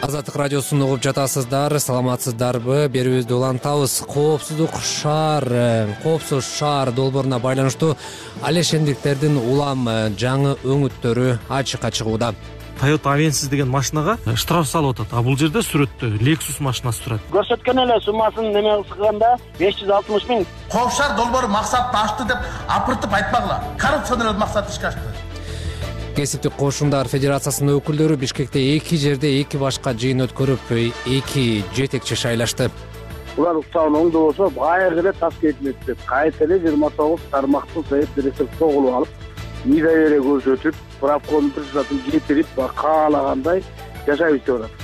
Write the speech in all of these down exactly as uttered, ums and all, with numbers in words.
Азаттык радиосун угуп жатасыздар, саламатсыздарбы? Берүүбүздү улантабыз. Коопсуздук шаар, коопсуз шаар долбооруна байланыштуу алешендиктердин улам жаңы өңүттөрү ачыкка чыгууда. Toyota Avensis деген машинага штраф салып атат. А бул жерде сүрөттө Lexus машинасы турат. Көрсөткөн эле суммасын неме кылганда беш жүз алтымыш миң. Коопсуз шаар долбоору максатын ачты деп апыртып айтпагыла. Коррупциядан максат ишке ашты. Кесиптик кошундар федерациясынын өкүлдөрү Бишкекте эки жерде эки башка жыйын өткөрүп, эки жетекчи шайлашты. Улар уктабын оңдобосо байыркы эле тас кетмек деп кайта эле жыйырма тогуз тармактуу совет директор тогулуп алып, мидавере көрсөтүп, правкомдун председателин кетирип, каалагандай жашап иштеп атат.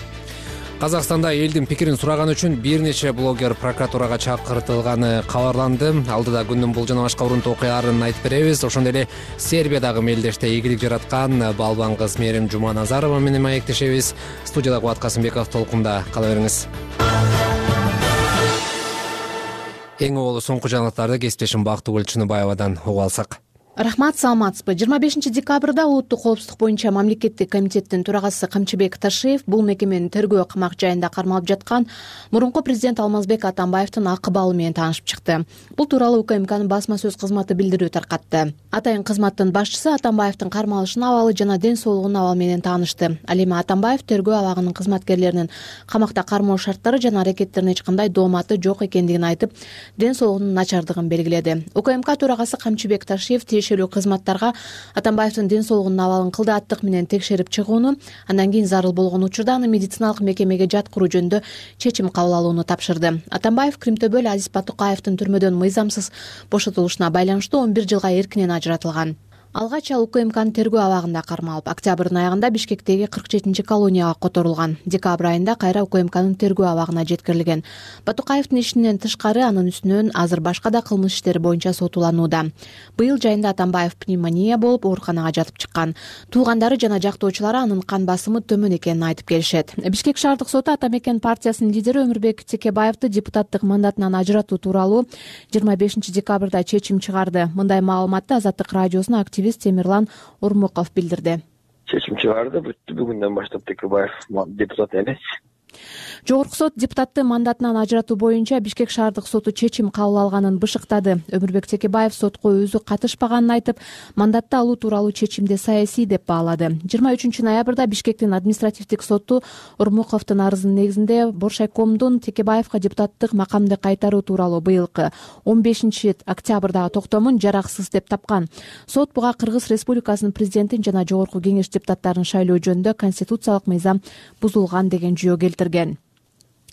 Казакстанда элдин пикирин сураган үчүн бир нече блогер прокуратурага чакыртылганы кабарланды. Алдыда күндүн бул жана башка урунтуу окуяларын айтып беребиз. Ошондой эле Сербиядагы мелдеште ийгилик жараткан балбан кыз Мерим Жуманазарова менен маектешебиз. Студияда Кубат Касымбеков, толкунда кала бериңиз. Эң оболу соңку жаңылыктарды кесиптешим Бактыгүл Чыныбаевадан угуп алсак. Рахмат, саламатсызбы? жыйырма бешинчи декабрда улуттук коопсуздук боюнча мамлекеттик комитеттин төрагасы Камчыбек Ташиев бул мекеменин тергөө камак жайында кармалып жаткан мурунку президент Алмазбек Атамбаевдин акыбалы менен таанышып чыкты. Бул тууралуу УКМКнын басма сөз кызматы билдирүү таркатты. Атайын кызматтын башчысы Атамбаевдин кармалышынын абалы жана ден соолугунун абалы менен таанышты. Ал эми Атамбаев тергөө абагынын кызматкерлеринин камакта кармоо шарттары жана аракеттерине эч кандай дооматы жок экендигин айтып, ден соолугунун начардыгын белгиледи. УКМК төрагасы Камчыбек Ташиев тиешелүү кызматтарга Атамбаевдин ден соолугунун абалын кылдааттык менен текшерип чыгууну, андан кийин зарыл болгон учурда аны медициналык мекемеге жаткыруу жөнүндө чечим кабыл алууну тапшырды. Атамбаев Кримтөбөл Азиз Батукаевдин түрмөдөн мыйзамсыз бошотулушуна байланыштуу он бир жылга эркинен ажыратылган. Алгач ал УКМКнын тергөө абагында кармалып, октябрдын аягында Бишкектеги кырк жетинчи колонияга которулган. Декабрь айында кайра УКМКнын тергөө абагына жеткирилген. Батукаевдин ишинен тышкары анын үстүнөн азыр башка да кылмыш иштери боюнча сотуланууда. Быйыл жайында Атамбаев пневмония болуп ооруканага жатып чыккан. Туугандары жана жактоочулары анын кан басымы төмөн экенин айтып келишет. Бишкек шаардык соту Атамекен партиясынын лидери Өмүрбек Текебаевди депутаттык мандатынан ажыратуу тууралуу жыйырма бешинчи декабрда чечим чыгарды. Мындай маалыматты Азаттык радиосуна активист Темирлан Урмуков билдирди. Чечим чыгарды. Бүгүндөн баштап Текебаев депутат эмес. Жогорку сот депутатты мандатынан ажыратуу боюнча Бишкек шаардык соту чечим кабыл алганын бышыктады. Өмүрбек Текебаев сотко өзү катышпаганын айтып, мандатты алуу тууралуу чечимди саясий деп баалады. жыйырма үчүнчү ноябрда Бишкектин административдик соту Урмуковдун арызынын негизинде Боршайкомдун Текебаевга депутаттык макамды кайтаруу тууралуу быйылкы он бешинчи октябрдагы токтомун жараксыз деп тапкан. Сот буга Кыргыз Республикасынын президентин жана Жогорку Кеңеш депутаттарын шайлоо жөнүндө конституциялык мыйзам бузулган деген жүйө келтирген.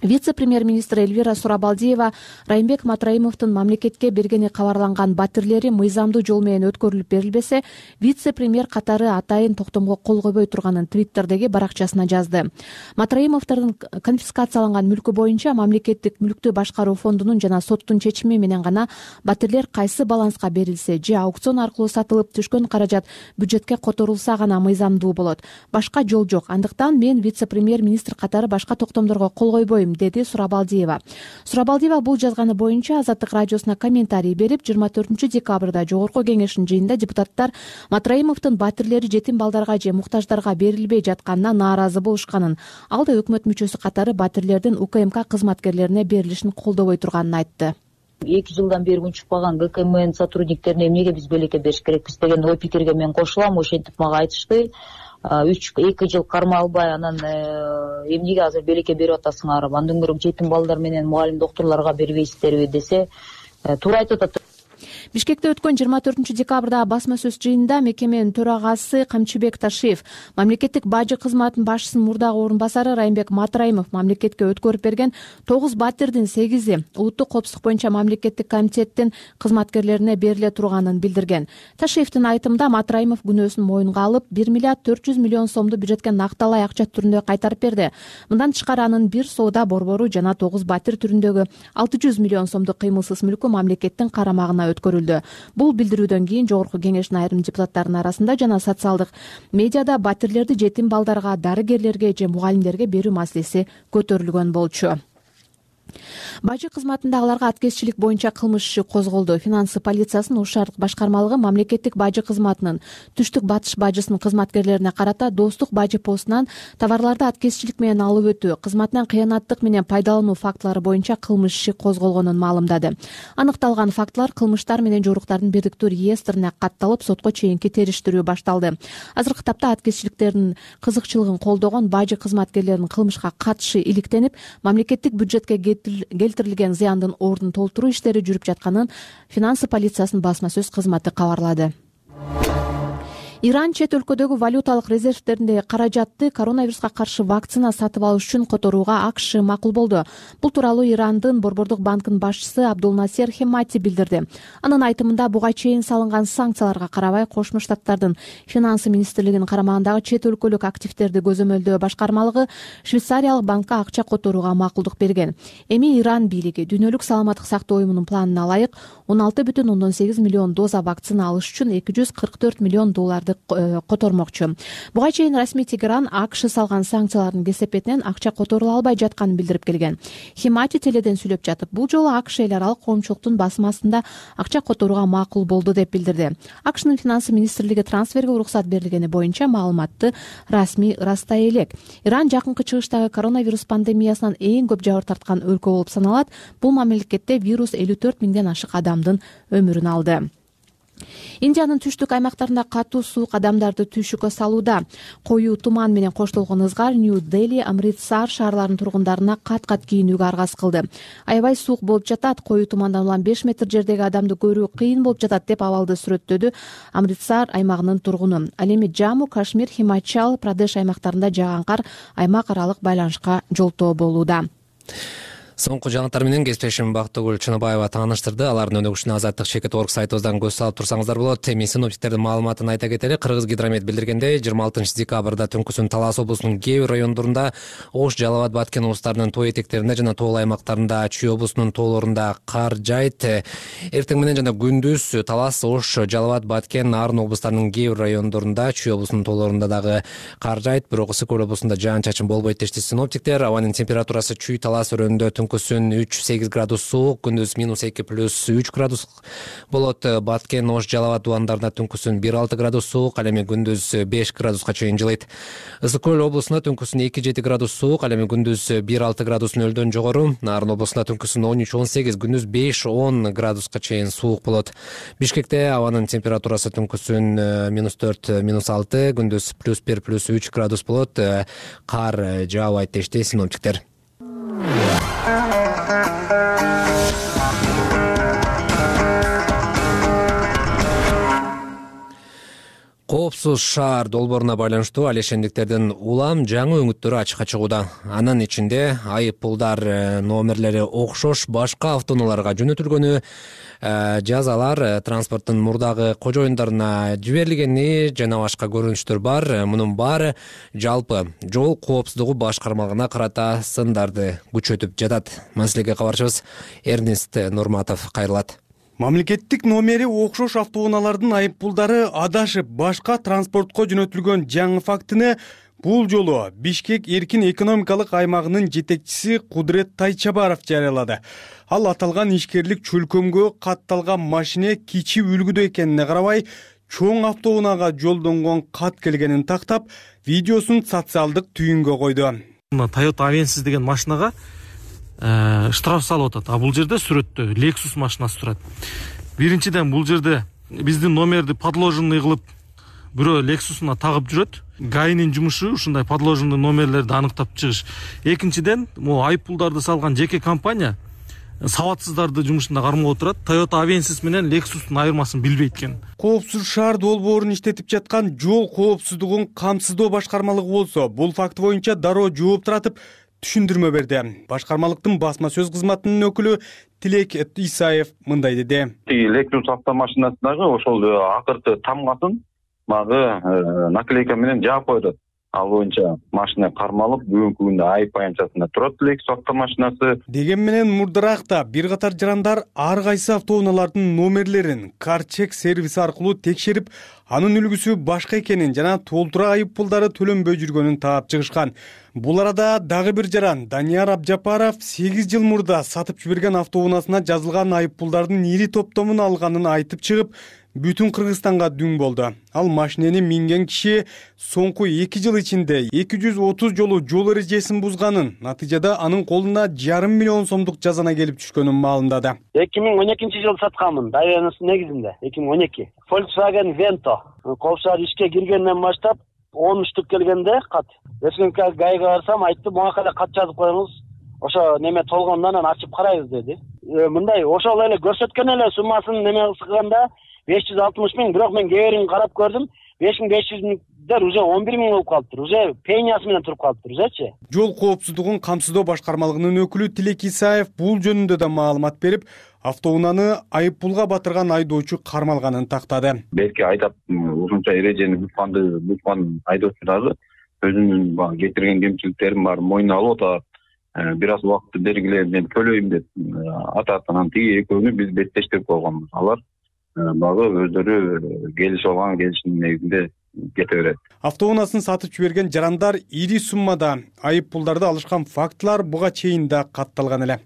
Вице-премьер-министр Эльвира Сурабалдиева Райымбек Матраимовдун мамлекетке бергени кабарланган батирлери мыйзамдуу жол менен өткөрүлүп берилбесе, вице-премьер катары атайын токтомго кол койбой турганын Твиттердеги баракчасына жазды. Матраимовдордун конфискацияланган мүлкү боюнча мамлекеттик мүлктү башкаруу фондунун жана соттун чечими менен гана батирлер кайсы баланска берилсе же аукцион аркылуу сатылып түшкөн каражат бюджетке которулса гана мыйзамдуу болот. Башка жол жок. Андыктан мен вице-премьер-министр катары башка токтомдорго кол койбойм, деди Сурабалдиева. Сурабалдиева бул жазганы боюнча Азаттык радиосуна комментарий берип, жыйырма төртүнчү декабрда Жогорку Кеңештин жыйынында депутаттар Матраимовдун батирлери жетим балдарга же муктаждарга берилбей жатканына нааразы болушканын, ал да өкмөт мүчөсү катары батирлердин УКМК кызматкерлерине берилишин колдобой турганын айтты. эки жылдан бери унчукпаган ГКМнын сотрудниктерине эмнеге биз белекке бериш керекпиз деген ой пикирге мен кошулам. Ошентип мага айтышты. үч эки жыл карма албай анан эмнеге азыр белекке берип атасыңар, андан көрө жетим балдар менен мугалим доктурларга бербейсиздерби десе, туура айтып атат. Бишкекте өткөн жыйырма төртүнчү декабрда басма сөз жыйынында мекеменин төрагасы Камчыбек Ташиев, мамлекеттик бажы кызматынын башчысынын мурдагы орун басары Райымбек Матраимов мамлекетке өткөрүп берген тогуз батирдин сегизи улуттук коопсуздук боюнча мамлекеттик комитеттин кызматкерлерине бериле турганын билдирген. Ташиевдин айтымында Матраимов күнөөсүн моюнга алып, бир миллиард төрт жүз миллион сомду бюджетке накталай акча түрүндө кайтарып берди. Мындан тышкары анын бир соода борбору жана тогуз батир түрүндөгү алты жүз миллион сомдук кыймылсыз мүлкү мамлекеттин карамагына өткөрүлдү. Бул билдирүүдөн кийин Жогорку Кеңештин айрым депутаттарынын арасында жана социалдык медиада батирлерди жетим балдарга, дарыгерлерге же мугалимдерге берүү маселеси көтөрүлгөн болчу. Бажы кызматындагыларга аткезчилик боюнча кылмыш иши козголду. Финансы полициясынын Ош шаардык башкармалыгы мамлекеттик бажы кызматынын түштүк батыш бажысынын кызматкерлерине карата достук бажы постунан товарларды аткезчилик менен алып өтүү, кызматынан кыянаттык менен пайдалануу фактылары боюнча кылмыш иши козголгонун маалымдады. Аныкталган фактылар кылмыштар менен жоруктардын бирдиктүү реестрине катталып, сотко чейинки териштирүү башталды. Азыркы тапта аткезчиликтердин кызыкчылыгын колдогон бажы кызматкерлеринин кылмышка катышы иликтенип, мамлекеттик бюджетке келтирилген зыяндын ордун толтуруу иштери жүрүп жатканын финансы полициясынын басма сөз кызматы кабарлады. Иран чет өлкөдөгү валюталык резервдериндеги каражатты коронавируска каршы вакцина сатып алыш үчүн которууга АКШ макул болду. Бул тууралуу Ирандын Борбордук банкынын башчысы Абдулнасер Хемати билдирди. Анын айтымында буга чейин салынган санкцияларга карабай Кошмо Штаттардын финансы министрлигинин карамагындагы чет өлкөлүк активдерди көзөмөлдөө башкармалыгы Швейцариялык банкка акча которууга макулдук берген. Эми Иран бийлиги Дүйнөлүк саламаттык сактоо уюмунун планына ылайык он алты бүтүн ондон сегиз миллион доза вакцина алыш үчүн эки жүз кырк төрт миллион долларды котормокчу. Буга чейин расмий Тегеран АКШ салган санкциялардын кесепетинен акча которула албай жатканын билдирип келген. Хемати теледен сүйлөп жатып, бул жолу АКШ эл аралык коомчулуктун басым астында акча которууга макул болду деп билдирди. АКШнын финансы министрлиги трансферге уруксат берилгени боюнча маалыматты расмий ырастай элек. Иран жакынкы чыгыштагы коронавирус пандемиясынан эң көп жабыр тарткан өлкө болуп саналат. Бул мамлекетте вирус элүү төрт миңден ашык адамдын өмүрүн алды. Индиянын түштүк аймактарында катуу суук адамдарды түйшүккө салууда. Коюу туман менен коштолгон ызгар Нью-Дели, Амритсар шаарларынын тургундарына кат-кат кийинүүгө аргасыз кылды. Аябай суук болуп жатат, коюу тумандан улам беш метр жердеги адамды көрүү кыйын болуп жатат деп абалды сүрөттөдү Амритсар аймагынын тургуну. Ал эми Жамму, Кашмир, Химачал, Прадеш аймактарында жааган кар аймак аралык байланышка жолтоо болууда. Соңку жаңылыктар менен кесиптешим Бактыгүл Чыныбаева тааныштырды. Алардын өнөгүшүнө Азаттык чекит орг сайтыбыздан көз салып турсаңыздар болот. Эми синоптиктердин маалыматын айта кетели. Кыргыз гидромет билдиргендей, жыйырма алтынчы декабрда түнкүсүн Талас облусунун кээ бир райондорунда, Ош, Жалал Абад, Баткен облустарынын тоо этектеринде жана тоол аймактарында, Чүй облусунун тоолорунда кар жайт. Эртең менен жана күндүз Талас, Ош, Жалал Абад, Баткен, Нарын облустарынын кээ бир райондорунда, Чүй облусунун тоолорунда дагы кар жайт, бирок Ысык көл облусунда жаан-чачын болбойт дешти синоптиктер. Абанын температурасы Чүй, Талас өрөөнүндө түнкүсүн үч сегиз градус суук, күндүз минус эки плюс үч градус болот. Баткен, Ош, Жалал Абад дубандарында түнкүсүн бир алты градус суук, ал эми күндүз беш градуска чейин жылыйт. Ысык көл облусунда түнкүсүн эки жети градус суук, ал эми күндүз бир алты градус нөлдөн жогору. Нарын облусунда түнкүсүн он үч он сегиз, күндүз беш он градуска чейин суук болот. Бишкекте абанын температурасы түнкүсүн минус төрт минус алты, күндүз плюс бир плюс үч градус болот. Кар жаабайт дешти синоптиктер. Коопсуз шаар долбооруна байланыштуу алешендиктердин улам жаңы өңүттөрү ачыкка чыгууда. Анын ичинде айып пулдар номерлери окшош башка автоунааларга жөнөтүлгөнү, жазалар транспорттун мурдагы кожоюндарына жиберилгени жана башка көрүнүштөр бар. Мунун баары жалпы жол коопсуздугу башкармалыгына карата сындарды күчөтүп жатат. Маселеге кабарчыбыз Эрнест Нурматов кайрылат. Мамлекеттик номери окшош автоунаалардын айып пулдары адашып башка транспортко жөнөтүлгөн жаңы фактыны бул жолу Бишкек эркин экономикалык аймагынын жетекчиси Кудрет Тайчабаров жарыялады. Ал аталган ишкерлик чөлкөмгө катталган машина кичи үлгүдө экенине карабай, чоң автоунаага жолдонгон кат келгенин тактап, видеосун социалдык түйүнгө койду. Toyota Avensis деген машинага штраф салып атат. А бул жерде сүрөттө Lexus машинасы турат. Биринчиден бул жерде биздин номерди подложенный кылып бирөө Lexus'уна тагып жүрөт. ГАИнин жумушу ушундай подложенный номерлерди аныктап чыгыш. Экинчиден, могу айып пулдарды салган жеке компания сабатсыздарды жумушунда кармап отурат. Toyota Avensis менен Lexus'тун айырмасын билбейт экен. Коопсуз шаар долбоорун иштетип жаткан жол коопсуздугун камсыздоо башкармалыгы болсо, бул факт боюнча дароо жооп таратып түшүндүрмө берди. Башкармалыктын басма сөз кызматынын өкүлү Тилек Исаев мындай деди. Lexus автомашинасындагы ошол акыркы тамгасын магы наклейка менен жаап койду. Ал боюнча машина кармалып, бүгүнкү күндө айып аянтчасында турат Lexus автомашинасы. Деген менен мурдаракта бир катар жарандар ар кайсы автоунаалардын номерлерин CarCheck сервиси аркылуу текшерип, анын үлгүсү башка экенин жана толтура айып пулдары төлөнбөй жүргөнүн таап чыгышкан. Бул арада дагы бир жаран Данияр Абжапаров сегиз жыл мурда сатып жиберген автоунаасына жазылган айып пулдардын ири топтомун алганын айтып чыгып, бүтүн Кыргызстанга дүң болду. Ал машинени минген киши соңку эки жыл ичинде эки жүз отуз жолу жол эрежесин бузганын, натыйжада анын колуна жарым миллион сомдук жазана келип түшкөнүн маалымдады. эки миң он экинчи жылы сатканмын, даянысы негизинде, эки миң он эки. Volkswagen Vento. Коопсуз ишке киргенден баштап он үчтүк келгенде кат. Республика гайга барсам, айттым, буга эле кат жазып коюңуз. Ошо неме толгондон анан ачып карайбыз деди. Мындай ошол эле көрсөткөн эле суммасын неме кылганда беш жүз алтымыш миң, бирок мен кеберин карап көрдүм, беш миң беш жүздер уже он бир миң болуп калыптыр. Уже пениясы менен туруп калыптыр, узечи. Жол коопсуздугун камсыздоо башкармалыгынын өкүлү Тилек Исаев бул жөнүндө да маалымат берип, автоунааны айып пулга батырган айдоочу кармалганын тактады. Белки айдап ушунча эрежени бузганды бузган айдоочу дагы өзүнүн баягы кетирген кемчиликтерин баарын мойнуна алып атат. Бир аз убакытты бергиле, мен төлөйм деп атат. Анан тиги экөөнү биз беттештирип койгонбуз. Алар багы өздөрү келишип алган келишимдин негизинде кете берет. Автоунаасын сатып жиберген жарандар ири суммада айып пулдарды алышкан фактылар буга чейин да катталган эле.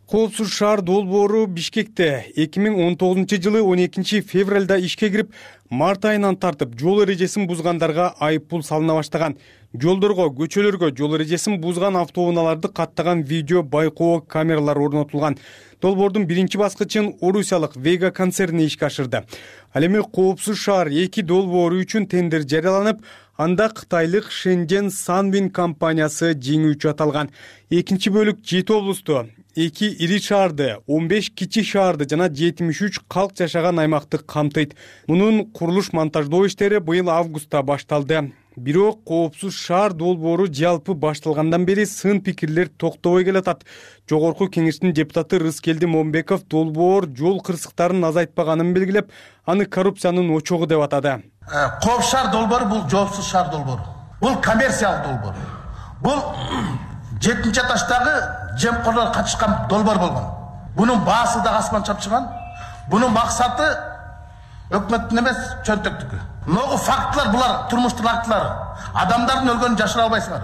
Коопсуз шаар долбоору Бишкекте эки миң он тогузунчу жылы он экинчи февралда ишке кирип, март айынан тартып жол эрежесин бузгандарга айып пул салына баштаган. Жолдорго, көчөлөргө жол эрежесин бузган автоунааларды каттаган видео байкоо камералар орнотулган. Долбоордун биринчи баскычын орусиялык Vega концерни ишке ашырды. Ал эми Коопсуз шаар эки долбоору үчүн тендер жарыяланып, анда кытайлык Shenzhen Sunwin компаниясы жеңүүчү аталган. Экинчи бөлүк жети облусту, эки ири шаарды, он беш кичи шаарды жана жетимиш үч калк жашаган аймакты камтыйт. Мунун курулуш монтаждоо иштери быйыл августта башталды. Бирок Коопсуз шаар долбоору жалпы башталгандан бери сын пикирлер токтобой келатат. Жогорку кеңештин депутаты Рыскелди Момбеков долбоор жол кырсыктарын азайтпаганын белгилеп, аны коррупциянын очогу деп атады. Коопсуз шаар долбоору бул жоопсуз шаар долбоору. Бул коммерциялык долбоор. Бул жетинчи этаждагы жемкорлор катышкан долбоор болгон. Бунун баасы да асман чапчыган. Бунун максаты өкмөттүн эмес, чөнтөктүкү. Могу фактылар булар, турмуштук фактылар. Адамдардын өлгөнүн жашыра албайсыңар.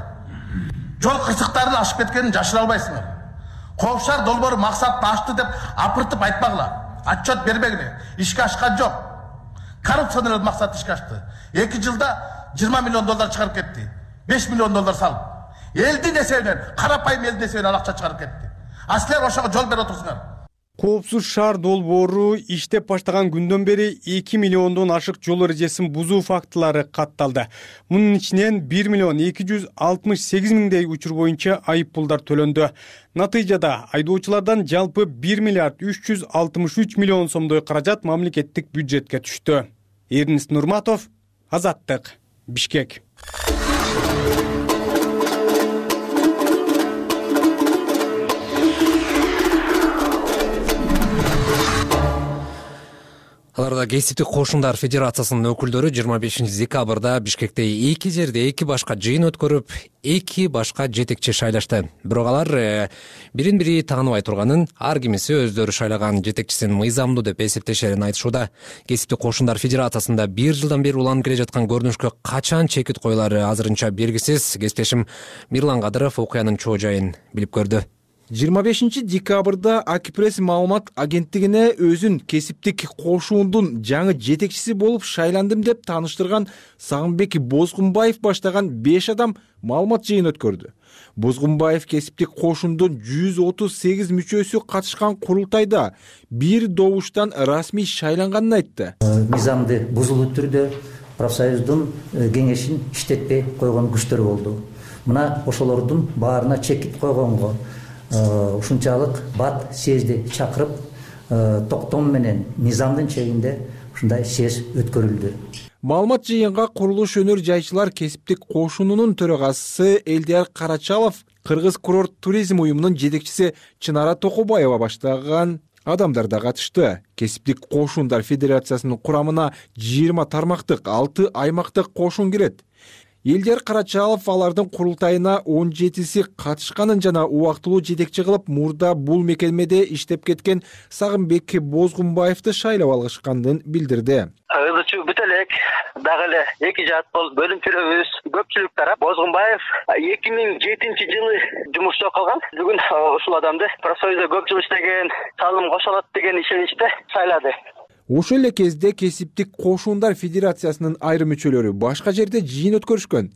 Жол кырсыктарын ашып кеткенин жашыра албайсыңар. Коопсуз шаар долбоору максатты ашты деп апыртып айтпагыла. Отчет бербегиле. Ишке ашкан жок. Коррупционный максат ишке ашты. эки жылда жыйырма миллион доллар чыгарып кетти. беш миллион доллар салып. Элдин эсебинен, карапайым элдин эсебинен акча чыгарып кетти. А силер ошого жол берип отурсуңар. Коопсуз шаар долбоору иштеп баштаган күндөн бери эки миллиондон ашык жол эрежесин бузуу фактылары катталды. Мунун ичинен бир миллион эки жүз алтымыш сегиз миңдей учур боюнча айып пулдар төлөндү. Натыйжада айдоочулардан жалпы бир миллиард үч жүз алтымыш үч миллион сомдой каражат мамлекеттик бюджетке түштү. Эрнис Нурматов, Азаттык, Бишкек. Аларда Кесиптик кошундар федерациясынын өкүлдөрү жыйырма бешинчи декабрда Бишкекте эки жерде эки башка жыйын өткөрүп, эки башка жетекчи шайлашты. Бирок алар бирин бири тааныбай турганын, ар кимиси өздөрү шайлаган жетекчисин мыйзамдуу деп эсептешерин айтышууда. Кесиптик кошундар федерациясында бир жылдан бери уланып келе жаткан көрүнүшкө качан чекит коюлары азырынча белгисиз. Кесиптешим Мирлан Кадыров окуянын чоо жайын билип көрдү. жыйырма бешинчи декабрда Акипресс маалымат агенттигине өзүн кесиптик кошуундун жаңы жетекчиси болуп шайландым деп тааныштырган Сагынбек Бозгунбаев баштаган беш адам маалымат жыйын өткөрдү. Бозгунбаев кесиптик кошуундун жүз отуз сегиз мүчөсү катышкан курултайда бир добуштан расмий шайланганын айтты. Мыйзамды бузулуу түрдө профсоюздун кеңешин иштетпей койгон күчтөр болду. Мына ошолордун баарына чекит койгонго ушунчалык бат съезди чакырып, токтом менен мыйзамдын чегинде ушундай съезд өткөрүлдү. Маалымат жыйынга курулуш өнөр жайчылар кесиптик кошунунун төрагасы Элдияр Карачалов, Кыргыз курорт туризм уюмунун жетекчиси Чынара Токобаева баштаган адамдар да катышты. Кесиптик кошундар федерациясынын курамына жыйырма тармактык алты аймактык кошун кирет. Элдер Карачалов алардын курултайына он жетиси катышканын жана убактылуу жетекчи кылып мурда бул мекемеде иштеп кеткен Сагынбек Бозгунбаевди шайлап алышканын билдирди. Ызычуу бүт элек дагы эле эки жат бол бөлүмчөлөрүбүз көпчүлүк тарап Бозгунбаев эки миң жетинчи жылы жумушта калган. Бүгүн ушул адамды профсоюзда көп жыл иштеген, салым кошо алат деген ишеничте шайлады. Ошол эле кезде Кесиптик кошундар федерациясынын айрым мүчөлөрү башка жерде жыйын өткөрүшкөн.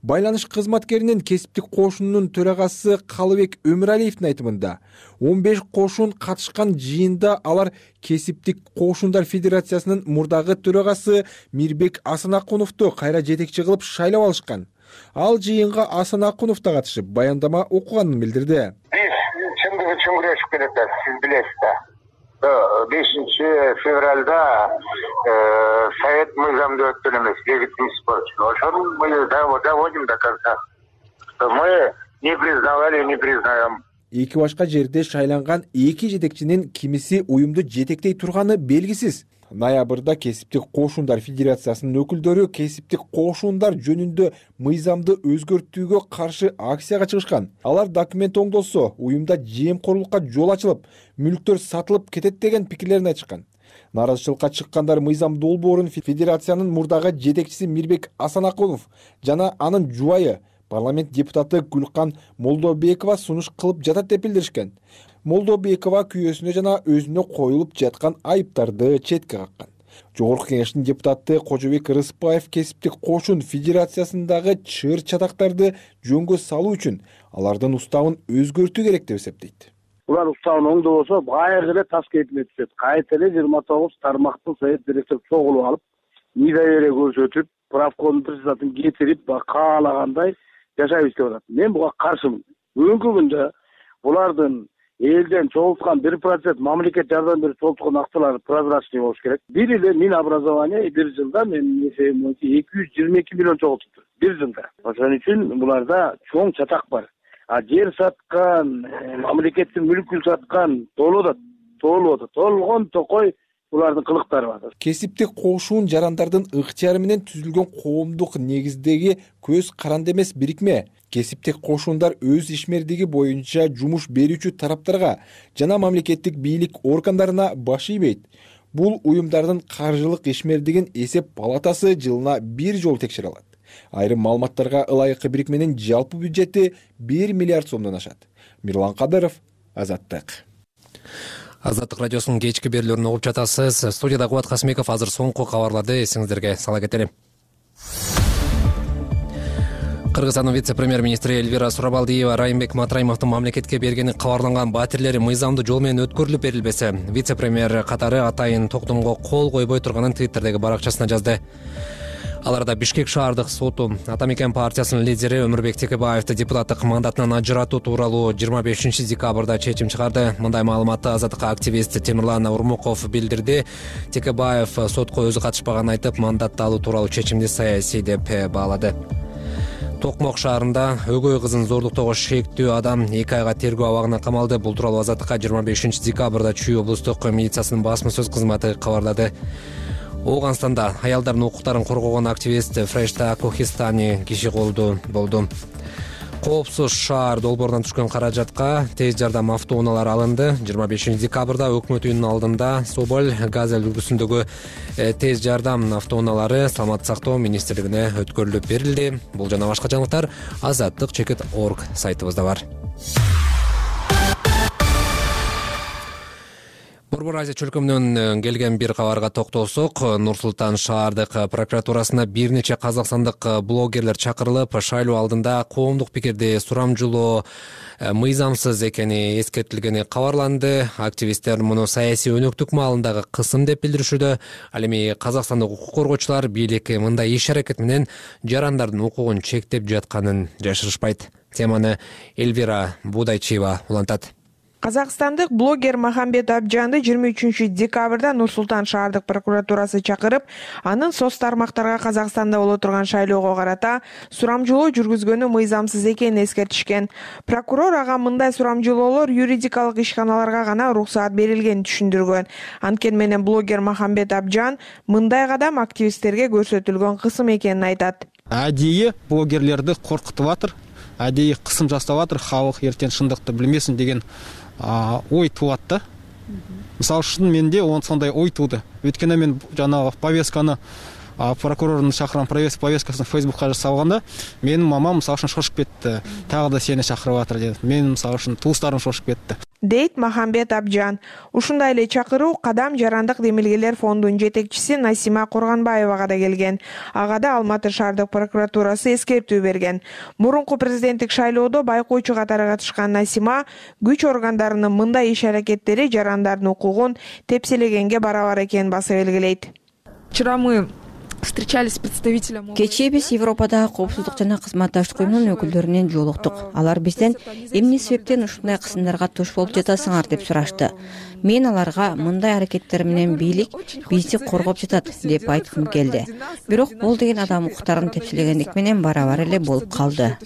Байланыш кызматкеринин Кесиптик кошунунун төрагасы Калыбек Өмүралиевдин айтымында он беш кошун катышкан жыйында алар Кесиптик кошундар федерациясынын мурдагы төрагасы Мирбек Асанакуновду кайра жетекчи кылып шайлап алышкан. Ал жыйынга Асанакунов да катышып баяндама окуганын билдирди. Биз чындыгы үчүн күрөшүп келатабыз, сиз билесиз да. бешинчи февралда совет мыйзамды өткөн эмес, легитимный спор. Ошону мы доводим до конца. Мы не признавали, не признаем. Эки башка жерде шайланган эки жетекчинин кимиси уюмду жетектей турганы белгисиз. Ноябрда Кесиптик кошундар федерациясынын өкүлдөрү Кесиптик кошундар жөнүндө мыйзамды өзгөртүүгө каршы акцияга чыгышкан. Алар документ оңдолсо, уюмда жемкорлукка жол ачылып, мүлктөр сатылып кетет деген пикирлерин айтышкан. Наразычылыкка чыккандар мыйзам долбоорун федерациянын мурдагы жетекчиси Мирбек Асанакунов жана анын жубайы парламент депутаты Гүлкан Молдобекова сунуш кылып жатат деп билдиришкен. Молдобекова күйөөсүнө жана өзүнө коюлуп жаткан айыптарды четке каккан. Жогорку кеңештин депутаты Кожобек Рыспаев Кесиптик кошун федерациясындагы чыр чатактарды жөнгө салуу үчүн алардын уставын өзгөртүү керек деп эсептейт. Улар уставын оңдобосо кайра эле таш кетине түшөт. Кайта эле жыйырма тогуз тармактын совет директору чогулуп алып, недоверие көрсөтүп, правкомдун председателин кетирип, каалагандай жашап иштеп атат. Мен буга каршымын. Бүгүнкү күндө булардын элден чогулткан бир процент мамлекет жардам берип чогулткан акчалары прозрачный болуш керек. Бир эле Минобразование бир жылда менин эсебим боюнча эки жүз жыйырма эки миллион чогултуптур. Бир жылда. Ошон үчүн буларда чоң чатак бар. А жер саткан, мамлекеттин мүлкүн саткан толуп атат, толуп атат. Толгон токой булардын кылыктары бар. Кесиптик кошун жарандардын ыктыяры менен түзүлгөн коомдук негиздеги көз каранды эмес бирикме. Кесиптик кошундар өз ишмердиги боюнча жумуш берүүчү тараптарга жана мамлекеттик бийлик органдарына баш ийбейт. Бул уюмдардын каржылык ишмердигин эсеп палатасы жылына бир жолу текшере алат. Айрым маалыматтарга ылайык бирикменин жалпы бюджети бир миллиард сомдон ашат. Мирлан Кадыров, Азаттык. Азаттык радиосунун кечки берүүлөрүн угуп жатасыз. Студияда Кубат Касмеков. Азыр соңку кабарларды эсиңиздерге сала кетели. Кыргызстандын вице-премьер-министри Эльвира Сурабалдиева Райымбек Матраимовдун мамлекетке бергени кабарланган батирлери мыйзамдуу жол менен өткөрүлүп берилбесе, вице-премьер катары атайын токтомго кол койбой турганын Твиттердеги баракчасына жазды. Аларда Бишкек шаардык соту Атамекен партиясынын лидери Өмүрбек Текебаевди депутаттык мандатынан ажыратуу тууралуу жыйырма бешинчи декабрда чечим чыгарды. Мындай маалыматты Азаттыкка активист Темирлан Урмуков билдирди. Текебаев сотко өзү катышпаганын айтып, мандатты алуу тууралуу чечимди саясий деп баалады. Токмок шаарында өгөй кызын зордуктоого шектүү адам эки айга тергөө абагына камалды. Бул тууралуу Азаттыкка жыйырма бешинчи декабрда Чүй облустук милициясынын басма сөз кызматы кабарлады. Ооганстанда аялдардын укуктарын коргогон активист Фрешта Кохистани киши колду болду. Коопсуз шаар долбоорунан түшкөн каражатка тез жардам автоунаалары алынды. жыйырма бешинчи декабрда өкмөт үйүнүнүн алдында Соболь, Газель үлгүсүндөгү тез жардам автоунаалары Саламаттык сактоо министрлигине өткөрүлүп берилди. Бул жана башка жаңылыктар азаттык чекит точка орг сайтыбызда бар. Борбор Азия чөлкөмүнөн келген бир кабарга токтолсок, Нур-Султан шаардык прокуратурасына бир нече казакстандык блогерлер чакырылып, шайлоо алдында коомдук пикирди сурамжылоо мыйзамсыз экени эскертилгени кабарланды. Активисттер муну саясий өнөктүк маалындагы кысым деп билдиришүүдө. Ал эми казакстандык укук коргоочулар бийлик мындай иш-аракет менен жарандардын укугун чектеп жатканын жашырышпайт. Теманы Эльвира Будайчиева улантат. Казакстандык блогер Махамбет Абжанды жыйырма үчүнчү декабрда Нур-Султан шаардык прокуратурасы чакырып, анын соц тармактарга Казакстанда боло турган шайлоого карата сурамжылоо жүргүзгөнү мыйзамсыз экенин эскертишкен. Прокурор ага мындай сурамжылоолор юридикалык ишканаларга гана уруксаат берилгенин түшүндүргөн. Анткени менен блогер Махамбет Абжан мындай кадам активисттерге көрсөтүлгөн кысым экенин айтат. адейи блогерлерди коркутуп атыр, адейи кысым жасап атыр, халык эртең шындыкты билмесин деген ой туулат да. Мисалы үчүн менде сондай ой тууду. Өткөндө мен жанагы повестканы прокурордун чакырган повесткасын Фейсбукка салганда, менин мамам мисалы үчүн шошуп кетти. Тагы да сени чакырып атыр деп. Мен мисалы үчүн туустарым шошуп кетти. Дейт Махамбет Абжан. Ушундай эле чакыруу Кадам жарандык демилгелер фондунун жетекчиси Насима Курганбаевага да келген. Ага да Алматы шаардык прокуратурасы эскертүү берген. Мурунку президенттик шайлоодо байкоочу катары катышкан Насима күч органдарынын мындай иш-аракеттери жарандардын укугун тепселегенге барабар экенин баса белгилейт. Вчера мы встречались с представителем. Кечээ биз Европадагы коопсуздук жана кызматташтык уюмунун өкүлдөрүнөн жолуктук. Алар бизден эмне себептен ушундай кысымдарга туш болуп жатасыңар деп сурашты. Мен аларга мындай аракеттер менен бийлик бизди коргоп жатат деп айткым келди. Бирок бул деген адам укуктарын тепселегендик менен барабар эле болуп калды.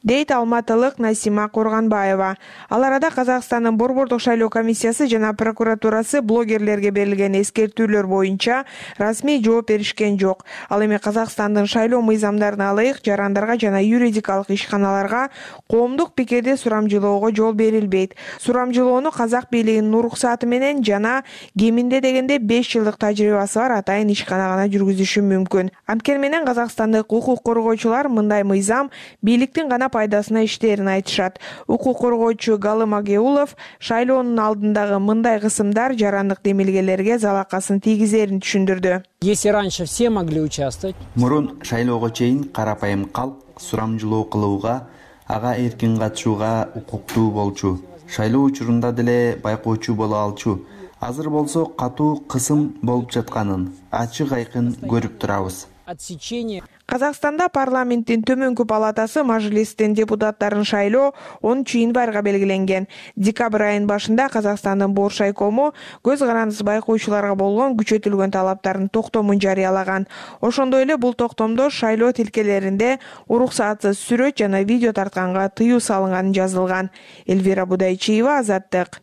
Дейт алматылык Насима Курганбаева. Ал арада Казакстандын Борбордук шайлоо комиссиясы жана прокуратурасы блогерлерге берилген эскертүүлөр боюнча расмий жооп беришкен жок. Ал эми Казакстандын шайлоо мыйзамдарына ылайык жарандарга жана юридикалык ишканаларга коомдук пикирди сурамжылоого жол берилбейт. Сурамжылоону казак бийлигинин уруксаты менен жана кеминде дегенде беш жылдык тажрыйбасы бар атайын ишкана гана жүргүзүшү мүмкүн. Анткени менен Казакстандык укук коргоочулар мындай мыйзам бийликтин гана пайдасына иштерин айтышат. Укук коргоочу Галым Агеулов шайлоонун алдындагы мындай кысымдар жарандык демилгелерге залакасын тийгизерин түшүндүрдү. Если раньше все могли участвовать. Мурун шайлоого чейин карапайым калк сурамжылоо кылууга, ага эркин катышууга укуктуу болчу. Шайлоо учурунда деле байкоочу боло алчу. Азыр болсо катуу кысым болуп жатканын ачык айкын көрүп турабыз. Отсечение. Казакстанда парламенттин төмөнкү палатасы Мажлистин депутаттарын шайлоо онунчу январга белгиленген. Декабрь айынын башында Казакстандын Борш айкому көз карандысыз байкоочуларга болгон күчөтүлгөн талаптардын токтомун жарыялаган. Ошондой эле бул токтомдо шайлоо тилкелеринде уруксатсыз сүрөт жана видео тартканга тыюу салынганы жазылган. Эльвира Будайчиева, Азаттык.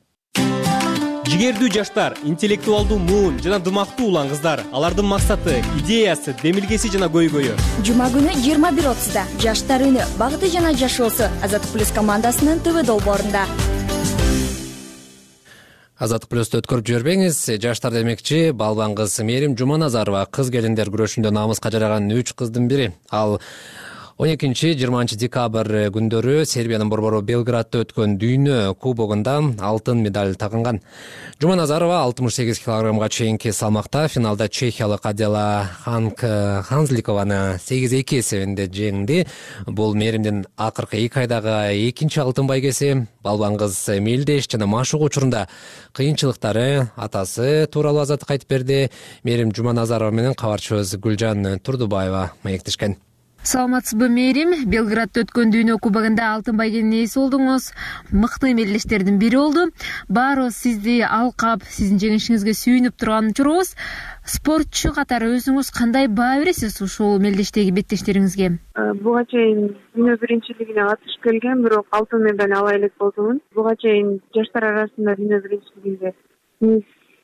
Жигердүү жаштар, интеллектуалдуу муун жана дымактуу улан кыздар. Алардын максаты, идеясы, демилгеси жана көйгөйү. Жума күнү жыйырма бир отузда жаштар үнү, багыты жана жашоосу Азаттык плюс командасынын ТВ долбоорунда. Азаттык плюсту өткөрүп жибербеңиз. Жаштар демекчи, балбан кыз Мээрим Жуманазарова кыз келиндер күрөшүндө намыска жараган үч кыздын бири. Ал он экинчи жыйырманчы декабрь күндөрү Сербиянын борбору Белградда өткөн дүйнө кубогунда алтын медаль тагынган. Жуманазарова алтымыш сегиз килограммга чейинки салмакта финалда чехиялык Адела Ханзликованы сегиз эки эсебинде жеңди. Бул Мээримдин акыркы эки айдагы экинчи алтын байгеси. Балбан кыз мелдеш жана машык учурунда кыйынчылыктары атасы тууралуу Азаттык айтып берди. Мээрим Жуманазарова менен кабарчыбыз Гүлжан Турдубаева маектешкен. Саламатсызбы Мээрим? Белградда өткөн дүйнө кубогунда алтын байгенин ээси болдуңуз. Мыкты мелдештердин бири болду. Баарыбыз сизди алкап, сиздин жеңишиңизге сүйүнүп турган учурубуз. Спортчу катары өзүңүз кандай баа бересиз ушул мелдештеги беттештериңизге? Буга чейин дүйнө биринчилигине катышып келгем, бирок алтын медаль ала элек болдумун. Буга чейин жаштар арасында дүйнө биринчилигинде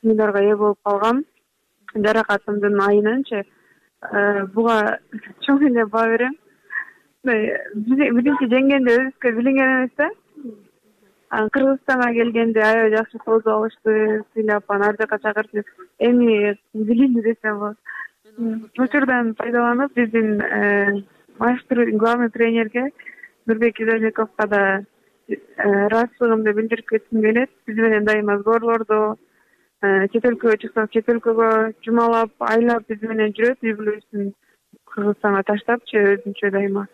медалга ээ болуп калгам. Жаракатымдын айынанчы буга чоң эле баа берем. Биринчи жеңгенде өзүбүзгө билинген эмес да. Кыргызстанга келгенде аябай жакшы кооз алышты, сыйлап, аны ар жака чакыртып, эми билинди десем болот. Учурдан пайдаланып, биздин майстер, главный тренерге Нурбек Изажековго да ыраазычылыгымды билдирип кетким келет. Биз менен дайыма сборлордо, чет өлкөгө чыксак, чет өлкөгө жумалап, айлап биз менен жүрөт. Үй бүлөсүн Кыргызстанга таштапчы өзүнчө дайыма.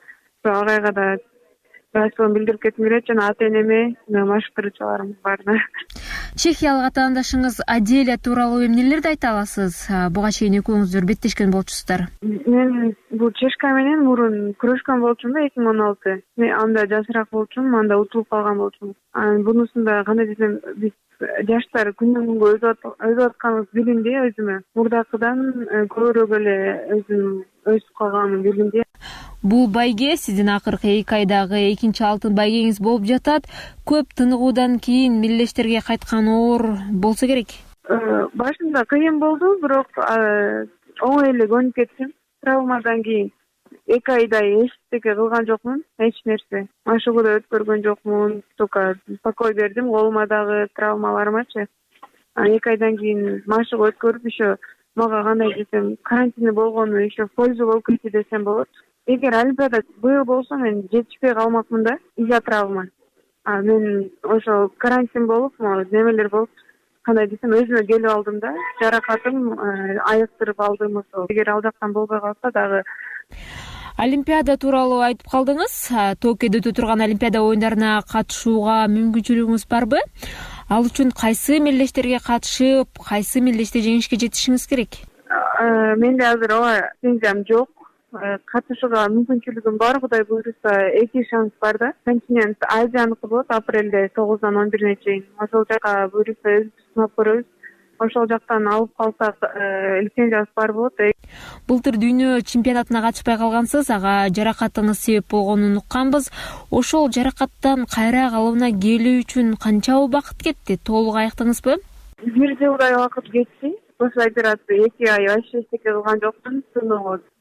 Агайга да ыраазычылыгымды билдирип кетким келет жана ата-энеме, машыктыруучуларым баарына. Чехиялык атаандашыңыз Аделя тууралуу эмнелерди айта аласыз? Буга чейин экөөңүздөр беттешкен болчусуздар. Мен бул чешка менен мурун күрөшкөн болчумун да эки миң он алты. Мен анда жашыраак болчумун, анда утулуп калган болчумун. Анан бунусунда кандай десем, биз жаштар күндөн күнгө өзүп атканыбыз билинди өзүмө. Мурдакыдан көбүрөөк эле өзүм өсүп калганымын билинди. Бул байге сиздин акыркы эки айдагы экинчи алтын байгеңиз болуп жатат. Көп тыныгуудан кийин мелдештерге кайткан оор болсо керек. Башында кыйын болду, бирок оңой эле көнүп кеттим. Травмадан кийин эки айдай эчтеке кылган жокмун, эч нерсе. Машыгуу да өткөргөн жокмун, только покой бердим колума дагы травмаларымачы. Эки айдан кийин машыгуу өткөрүп еще мага кандай десем, карантинде болгону еще польза болуп кетти десем болот. Эгер олимпиада быйыл болсо мен жетишпей калмакмын да из-за травма. А мен ошо карантин болуп, немелер болуп, кандай десем, өзүмө келип алдым да, жаракатым айыктырып алдым ошо. Эгер ал жактан болбой калса дагы. Олимпиада тууралуу айтып калдыңыз. Токиодо өтө турган Олимпиада оюндарына катышууга мүмкүнчүлүгүңүз барбы? Ал үчүн кайсы мелдештерге катышып, кайсы мелдеште жеңишке жетишиңиз керек? Менде азыр ооба пенсиям жок. Катышууга мүмкүнчүлүгүм бар, Кудай буйруса эки шанс бар да. Континент Азияныкы болот, апрелде тогуздан он бирине чейин. Ошол жака буйруса өзүбүз сынап көрөбүз. Ошол жактан алып калсак, лицензиясы бар болот. Былтыр дүйнө чемпионатына катышпай калгансыз, ага жаракатыңыз себеп болгонун укканбыз. Ошол жаракаттан кайра калыбына келүү үчүн канча убакыт кетти? Толук айыктыңызбы? Бир жылдай убакыт кетти. После операции эки ай вообще эчтеке кылган жокмун.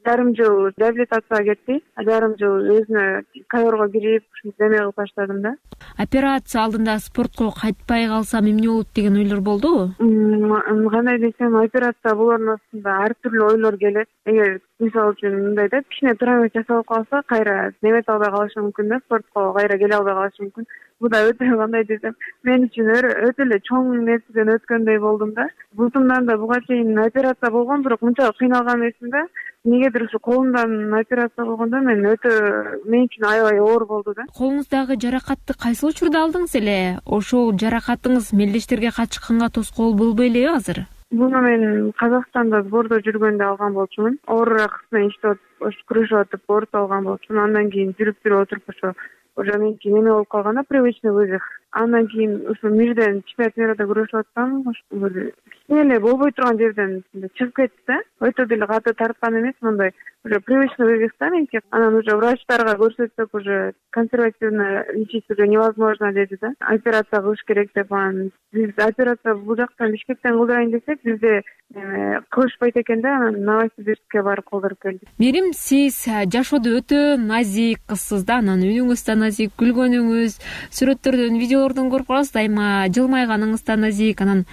Жарым жыл реабилитацияга кетти. Жарым жыл өзүнө ковёрго кирип, неме кылып баштадым да. Операция алдында спортко кайтпай калсам эмне болот деген ойлор болдубу? Кандай десем, операция болордун астында ар түрдүү ойлор келет. Эгер мисалы үчүн мындай да, кичине травма жасалып калса, кайра немете албай калышы мүмкүн да, спортко кайра келе албай калышы мүмкүн. Бул да өтө кандай десем, мен үчүн өтө эле чоң нерседен өткөндөй болдум да. Бутумдан да буга чейин операция болгон, бирок мынча кыйналган эмесмин да. Негедир ушу колумдан операция болгондо мен өтө мен үчүн аябай оор болду да. Колуңуздагы жаракатты кайсы учурда алдыңыз эле? Ошол жаракатыңыз мелдештерге катышканга тоскоол болбой элеби азыр? Буну мен Казакстанда сбордо жүргөндө алган болчумун. Оорураак кыз менен иштеп атып, күрөшүп атып, оорутуп алган болчумун. Андан кийин жүрүп жүрүп отуруп ошо уже меники неме болуп калганда, привычный вывих. Андан кийин ушу мирден чемпионат мирда күрөшүп атсам, кичине эле болбой турган жерден чыгып кетти да. Өтө деле каты тарткан эмес, мындай уже привычный вывих да меники. Анан уже врачтарга көрсөтсөк, уже консервативно лечить уже невозможно деди да. Операция кылыш керек деп, анан биз операция бул жактан Бишкектен кылдырайын десек, бизде кылышпайт экен да, анан Новосибирскке барып кылдырып келдик. Мерим, сиз жашоодо өтө назик кызсыз да, анан үнүңүз да назик, күлгөнүңүз, сүрөттөрдөн, видеолордон көрүп каласыз, дайыма жылмайганыңыз да назик. Анан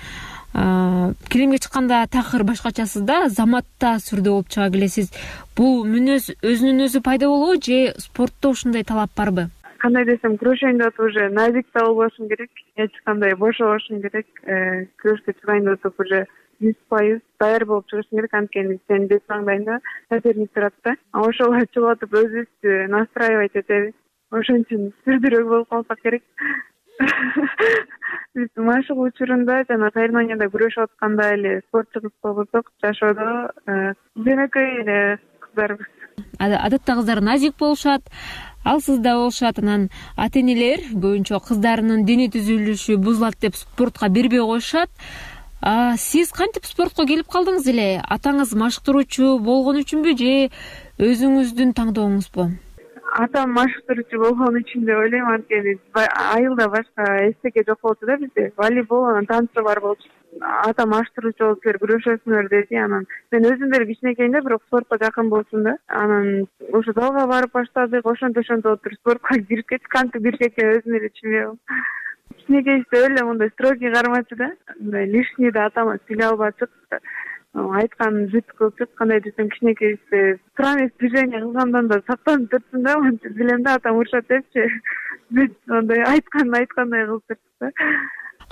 килимге чыкканда такыр башкачасыз да, заматта сүрдө болуп чыга келесиз. Бул мүнөз өзүнүн өзү пайда болобу же спортто ушундай талап барбы? Кандай десем, күрөшөйүн деп уже назик да болбошум керек, эч кандай бошобошум керек. Күрөшкө чыгайын деп уже жүз пайыз даяр болуп чыгышың керек, анткени сен бет маңдайыңда соперник турат да. Ошого чыгып атып өзүбүздү настраивать этебиз. Ошон үчүн сүрдүрөөк болуп калсак керек. Биз машыгуу учурунда жана соревнованияда күрөшүп атканда эле спортчу кыз болбосок, жашоодо жөнөкөй эле кыздарбыз. Адатта кыздар назик болушат, алсыз да болушат. Анан ата-энелер көбүнчө кыздарынын дене түзүлүшү бузулат деп спортко бербей коюшат. Сиз кантип спортко келип калдыңыз эле? Атаңыз машыктыруучу болгон үчүнбү же өзүңүздүн таңдооңузбу? Атам машыктыруучу болгон үчүн деп ойлойм, анткени айылда башка эчтеке жок болчу да бизде. Волейбол, анан танцы бар болчу. Атам машыктыруучу болуп силер күрөшөсүңөр деди. Анан мен өзүм деле кичинекейимде бирок спортко жакын болчумун да. Анан ошо залга барып баштадык, ошентип ошентип отуруп спортко кирип кеттик. Кантип кирип кеткен өзүм эле түшүнбөйм. Кичинекейибизде эле мындай строгий кармачу да. Мындай лишний да атама сүйлөй албачык. Айтканын бүт кылчык, кандай десем, кичинекейибизде странный движение кылгандан да сактанып турсун да, билем да атам урушат депчи. Бүт андай айтканын айткандай кылып турчу да.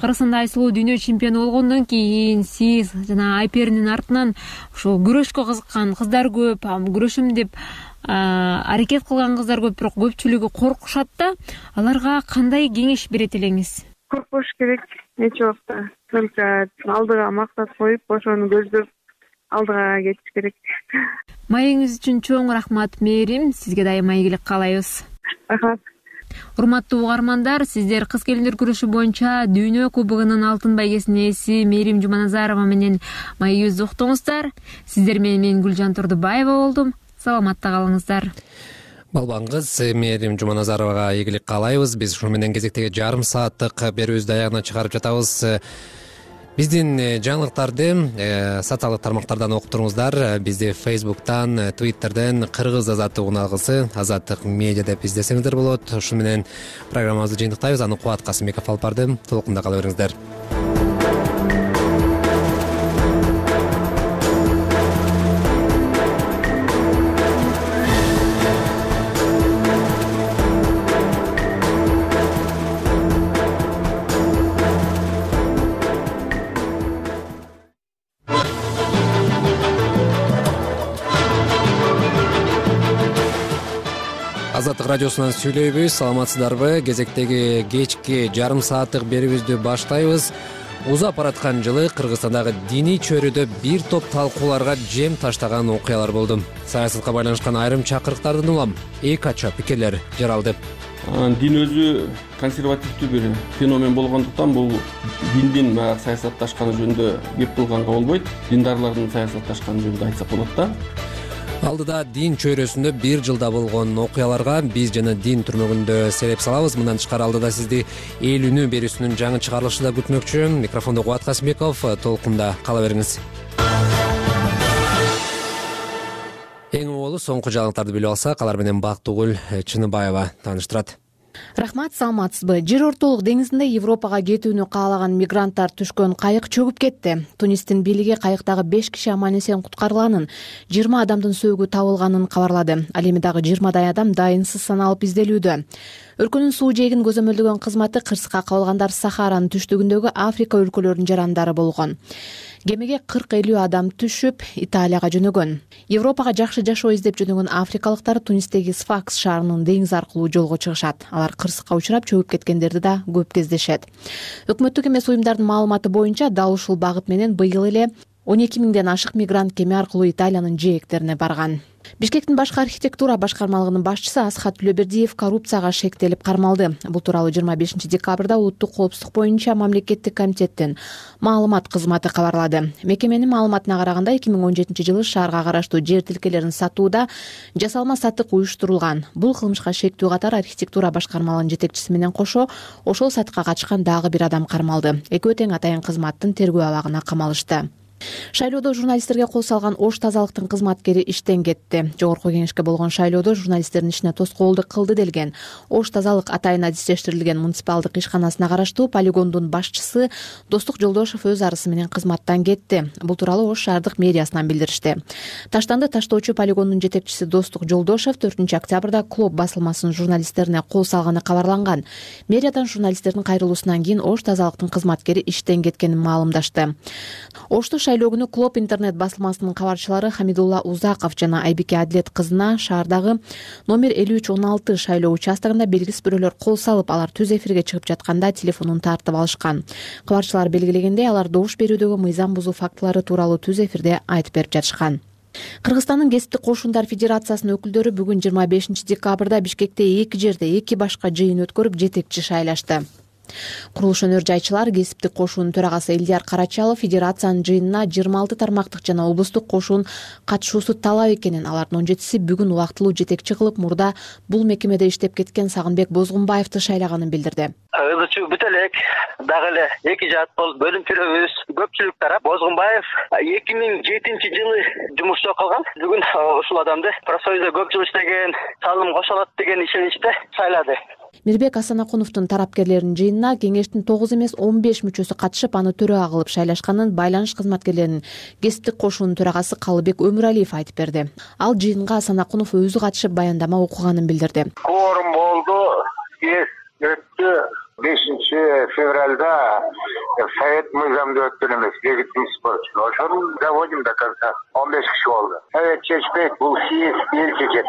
Кыргызстанда айсылуу дүйнө чемпиону болгондон кийин сиз жана Айперинин артынан ошо күрөшкө кызыккан кыздар көп, күрөшөм деп аракет кылган кыздар көп, бирок көпчүлүгү коркушат да. Аларга кандай кеңеш берет элеңиз? Коркпош керек эч убакта. Только алдыга максат коюп, ошону көздөп алдыга кетиш керек. Маегиңиз үчүн чоң рахмат, Мээрим. Сизге дайыма ийгилик каалайбыз. Рахмат. Урматтуу угармандар, сиздер кыз келиндер күрөшү боюнча дүйнө кубогунун алтын байгесинин ээси Мээрим Жуманазарова менен маегибизди уктуңуздар. Сиздер менен мен Гүлжан Турдубаева болдум. Саламатта калыңыздар. Балбаңыз Мээрим Жуманазаровага ийгилик каалайбыз. Биз ушу менен кезектеги жарым сааттык берүүбүздү аягына чыгарып жатабыз. Биздин жаңылыктарды социалдык тармактардан окуп туруңуздар. Бизди Facebook'тан, Twitter'ден Кыргыз Азаттык уналгысы, Азаттык медиа деп издесеңиздер болот. Ошо менен программабызды жыйынтыктайбыз. Аны Кубат Касымбеков алып барды. Толкунда кала бериңиздер. Азаттык радиосунан сүйлөйбүз. Саламатсыздарбы? Кезектеги кечки жарым сааттык берүүбүздү баштайбыз. Узап бараткан жылы Кыргызстандагы диний чөйрөдө бир топ талкууларга жем таштаган окуялар болду. Саясатка байланышкан айрым чакырыктардын улам эки ача пикирлер жаралды. Дин өзү консервативдүү бир феномен болгондуктан бул диндин баягы саясатташканы жөнүндө кеп кылганга болбойт. Диндарлардын саясатташканы жөнүндө айтсак болот да. Алдыда дин чөйрөсүндө бир жылда болгон окуяларга биз жана дин түрмөгүндө сереп салабыз. Мындан тышкары алдыда сизди эл үнү берүүсүнүн жаңы чыгарылышы да күтмөкчү. Микрофондо Кубат Касымбеков, толкунда кала бериңиз. Эң оболу соңку жаңылыктарды билип алсак, алар менен Бактыгүл Чыныбаева тааныштырат. Рахмат, саламатсызбы? Жер ортолук деңизинде Европага кетүүнү каалаган мигранттар түшкөн кайык чөгүп кетти. Тунистин бийлиги кайыктагы беш киши аман эсен куткарылганын, жыйырма адамдын сөөгү табылганын кабарлады. Ал эми дагы жыйырмадай адам дайынсыз саналып изделүүдө. Өлкөнүн суу жээгин көзөмөлдөгөн кызматы кырсыкка кабылгандар Сахаранын түштүгүндөгү Африка өлкөлөрүнүн жарандары болгон. Кемеге кырк элүү адам түшүп, Италияга жөнөгөн. Европага жакшы жашоо издеп жөнөгөн африкалыктар Тунистеги Сфакс шаарынын деңиз аркылуу жолго чыгышат. Алар кырсыкка учурап чөгүп кеткендерди да көп кездешет. Өкмөттүк эмес уюмдардын маалыматы боюнча дал ушул багыт менен быйыл эле он эки миңден ашык мигрант кеме аркылуу Италиянын жээктерине барган. Бишкектин башкы архитектура башкармалыгынын башчысы Асхат Түлөбердиев коррупцияга шектелип кармалды. Бул тууралуу жыйырма бешинчи декабрда улуттук коопсуздук боюнча мамлекеттик комитеттин маалымат кызматы кабарлады. Мекеменин маалыматына караганда эки миң он жетинчи жылы шаарга караштуу жер тилкелерин сатууда жасалма сатык уюштурулган. Бул кылмышка шектүү катар архитектура башкармалыгынын жетекчиси менен кошо ошол сатыкка катышкан дагы бир адам кармалды. Экөө тең атайын кызматтын тергөө абагына камалышты. Шайлоодо журналисттерге кол салган Ош тазалыктын кызматкери иштен кетти. Жогорку кеңешке болгон шайлоодо журналисттердин ишине тоскоолдук кылды делген Ош тазалык атайын адистештирилген муниципалдык ишканасына караштуу полигондун башчысы Достук Жолдошов өз арызы менен кызматтан кетти. Бул тууралуу Ош шаардык мэриясынан билдиришти. Таштанды таштоочу полигондун жетекчиси Достук Жолдошов төртүнчү октябрда Клоп басылмасынын журналисттерине кол салганы кабарланган. Мэриядан журналисттердин кайрылуусунан кийин Ош тазалыктын кызматкери иштен кеткенин маалымдашты. Ошто шайлоо күнү Клоп интернет басылмасынын кабарчылары Хамидулла Узаков жана Айбике Адилет кызына шаардагы номер элүү үч он алты шайлоо участогунда белгисиз бирөөлөр кол салып, алар түз эфирге чыгып жатканда телефонун тартып алышкан. Кабарчылар белгилегендей, алар добуш берүүдөгү мыйзам бузуу фактылары тууралуу түз эфирде айтып берип жатышкан. Кыргызстандын кесиптик кошундар федерациясынын өкүлдөрү бүгүн жыйырма бешинчи декабрда Бишкекте эки жерде эки башка жыйын өткөрүп жетекчи шайлашты. Курулуш өнөр жайчылар кесиптик кошуунун төрагасы Элдияр Карачалов федерациянын жыйынына жыйырма алты тармактык жана облустук кошуун катышуусу талап экенин, алардын он жетиси бүгүн убактылуу жетекчи кылып, мурда бул мекемеде иштеп кеткен Сагынбек Бозгунбаевди шайлаганын билдирди. Ызы чуу бүт элек дагы эле эки жаат болуп бөлүнчүлөрүбүз көпчүлүк тарап Бозгунбаев эки миң жетинчи жылы жумушта калган. Бүгүн ушул адамды профсоюзда көп жыл иштеген, салым кошолот деген ишеничте шайлады. Мирбек Асанакуновдун тарапкерлеринин жыйынына кеңештин тогуз эмес он беш мүчөсү катышып, аны төрага кылып шайлашканын байланыш кызматкерлеринин кесиптик кошуунун төрагасы Калыбек Өмүралиев айтып берди. Ал жыйынга Асанакунов өзү катышып баяндама окуганын билдирди. Кворум болду, съезд өттү. бешинчи февралда совет мыйзамды өттүн эмес, легитимность болчу. Ошону доводим до конца. он беш киши болду. Совет чечпейт, бул съезд эл чечет.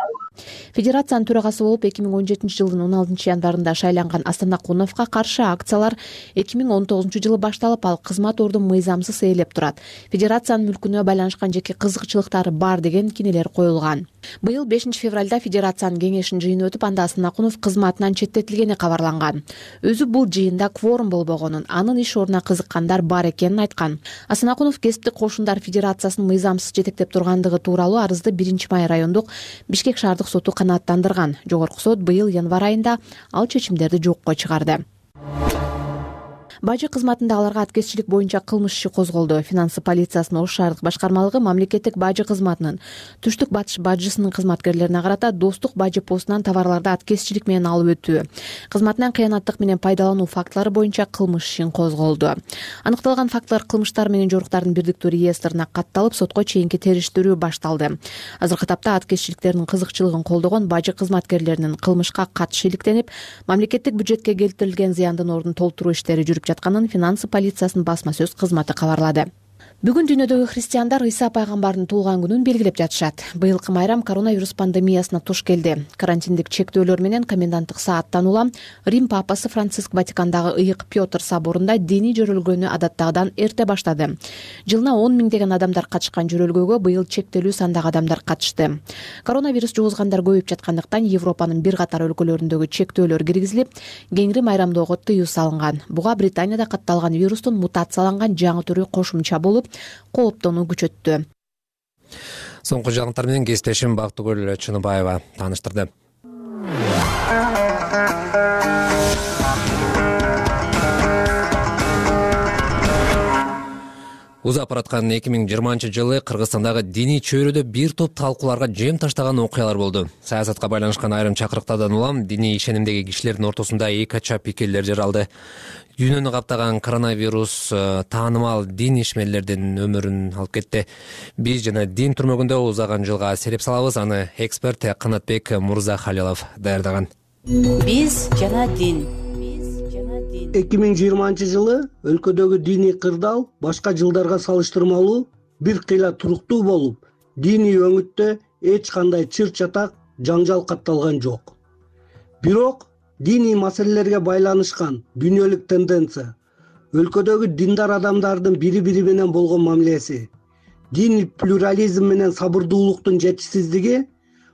Федерациянын төрагасы болуп эки миң он жетинчи жылдын он алтынчы январында шайланган Асанакуновго каршы акциялар эки миң он тогузунчу жылы башталып, ал кызмат ордун мыйзамсыз ээлеп турат. Федерациянын мүлкүнө байланышкан жеке кызыкчылыктары бар деген кинелер коюлган. Быйыл бешинчи февралда федерациянын кеңешинин жыйыны өтүп, анда Асанакунов кызматынан четтетилгени кабарланган. Өзү бул жыйында кворум болбогонун, анын иш ордуна кызыккандар бар экенин айткан. Асанакунов кесиптик кошундар федерациясынын мыйзамсыз жетектеп тургандыгы тууралуу арызды биринчи май райондук Бишкек шаардык соту канааттандырган. Жогорку сот быйыл январь айында ал чечимдерди жокко чыгарды. Бажы кызматында аларга аткезчилик боюнча кылмыш иши козголду. Финансы полициясынын Ош шаардык башкармалыгы мамлекеттик бажы кызматынын Түштүк Батыш бажысынын кызматкерлерине карата Достук бажы постунан товарларды аткезчилик менен алып өтүү, кызматынан кыянаттык менен пайдалануу фактылары боюнча кылмыш ишин козголду. Аныкталган фактылар кылмыштар менен жоруктардын бирдиктүү реестрине катталып, сотко чейинки териштирүү башталды. Азыркы тапта аткезчиликтердин кызыкчылыгын колдогон бажы кызматкерлеринин кылмышка катышы иликтенип, мамлекеттик бюджетке келтирилген зыяндын ордун толтуруу иштери жүрүп жатканын финансы полициясынын басма сөз кызматы кабарлады. Бүгүн дүйнөдөгү христиандар Ыйса пайгамбардын туулган күнүн белгилеп жатышат. Быйылкы майрам коронавирус пандемиясына туш келди. Карантиндик чектөөлөр менен коменданттык сааттан улам Рим папасы Франциск Ватикандагы Ыйык Петр соборунда диний жөрөлгөнү адаттагыдан эрте баштады. Жылына он миңдеген адамдар катышкан жөрөлгөгө быйыл чектелүү сандагы адамдар катышты. Коронавирус жугузгандар көбөйүп жаткандыктан Европанын бир катар өлкөлөрүндөгү чектөөлөр киргизилип, кеңири майрамдоого тыюу салынган. Буга Британияда катталган вирустун мутацияланган жаңы түрү кошумча болуп, кооптонуу күчөттү. Соңку жаңылыктар менен кесиптешим Бактыгүл Чыныбаева тааныштырды. Узап бараткан эки миң жыйырманчы жылы Кыргызстандагы диний чөйрөдө бир топ талкууларга жем таштаган окуялар болду. Саясатка байланышкан айрым чакырыктардан улам диний ишенимдеги кишилердин ортосунда эки ача пикирлер жаралды. Дүйнөнү каптаган коронавирус таанымал дин ишмерлердин өмүрүн алып кетти. Биз жана дин түрмөгүндө узаган жылга сереп салабыз. Аны эксперт Канатбек Мурзахалилов даярдаган. Биз жана дин. эки миң жыйырманчы жылы өлкөдөгү диний кырдаал башка жылдарга салыштырмалуу бир кыйла туруктуу болуп, диний өңүттө эч кандай чыр чатак, жаңжал катталган жок. Бирок диний маселелерге байланышкан дүйнөлүк тенденция, өлкөдөгү диндар адамдардын бири-бири менен болгон мамилеси, диний плюрализм менен сабырдуулуктун жетишсиздиги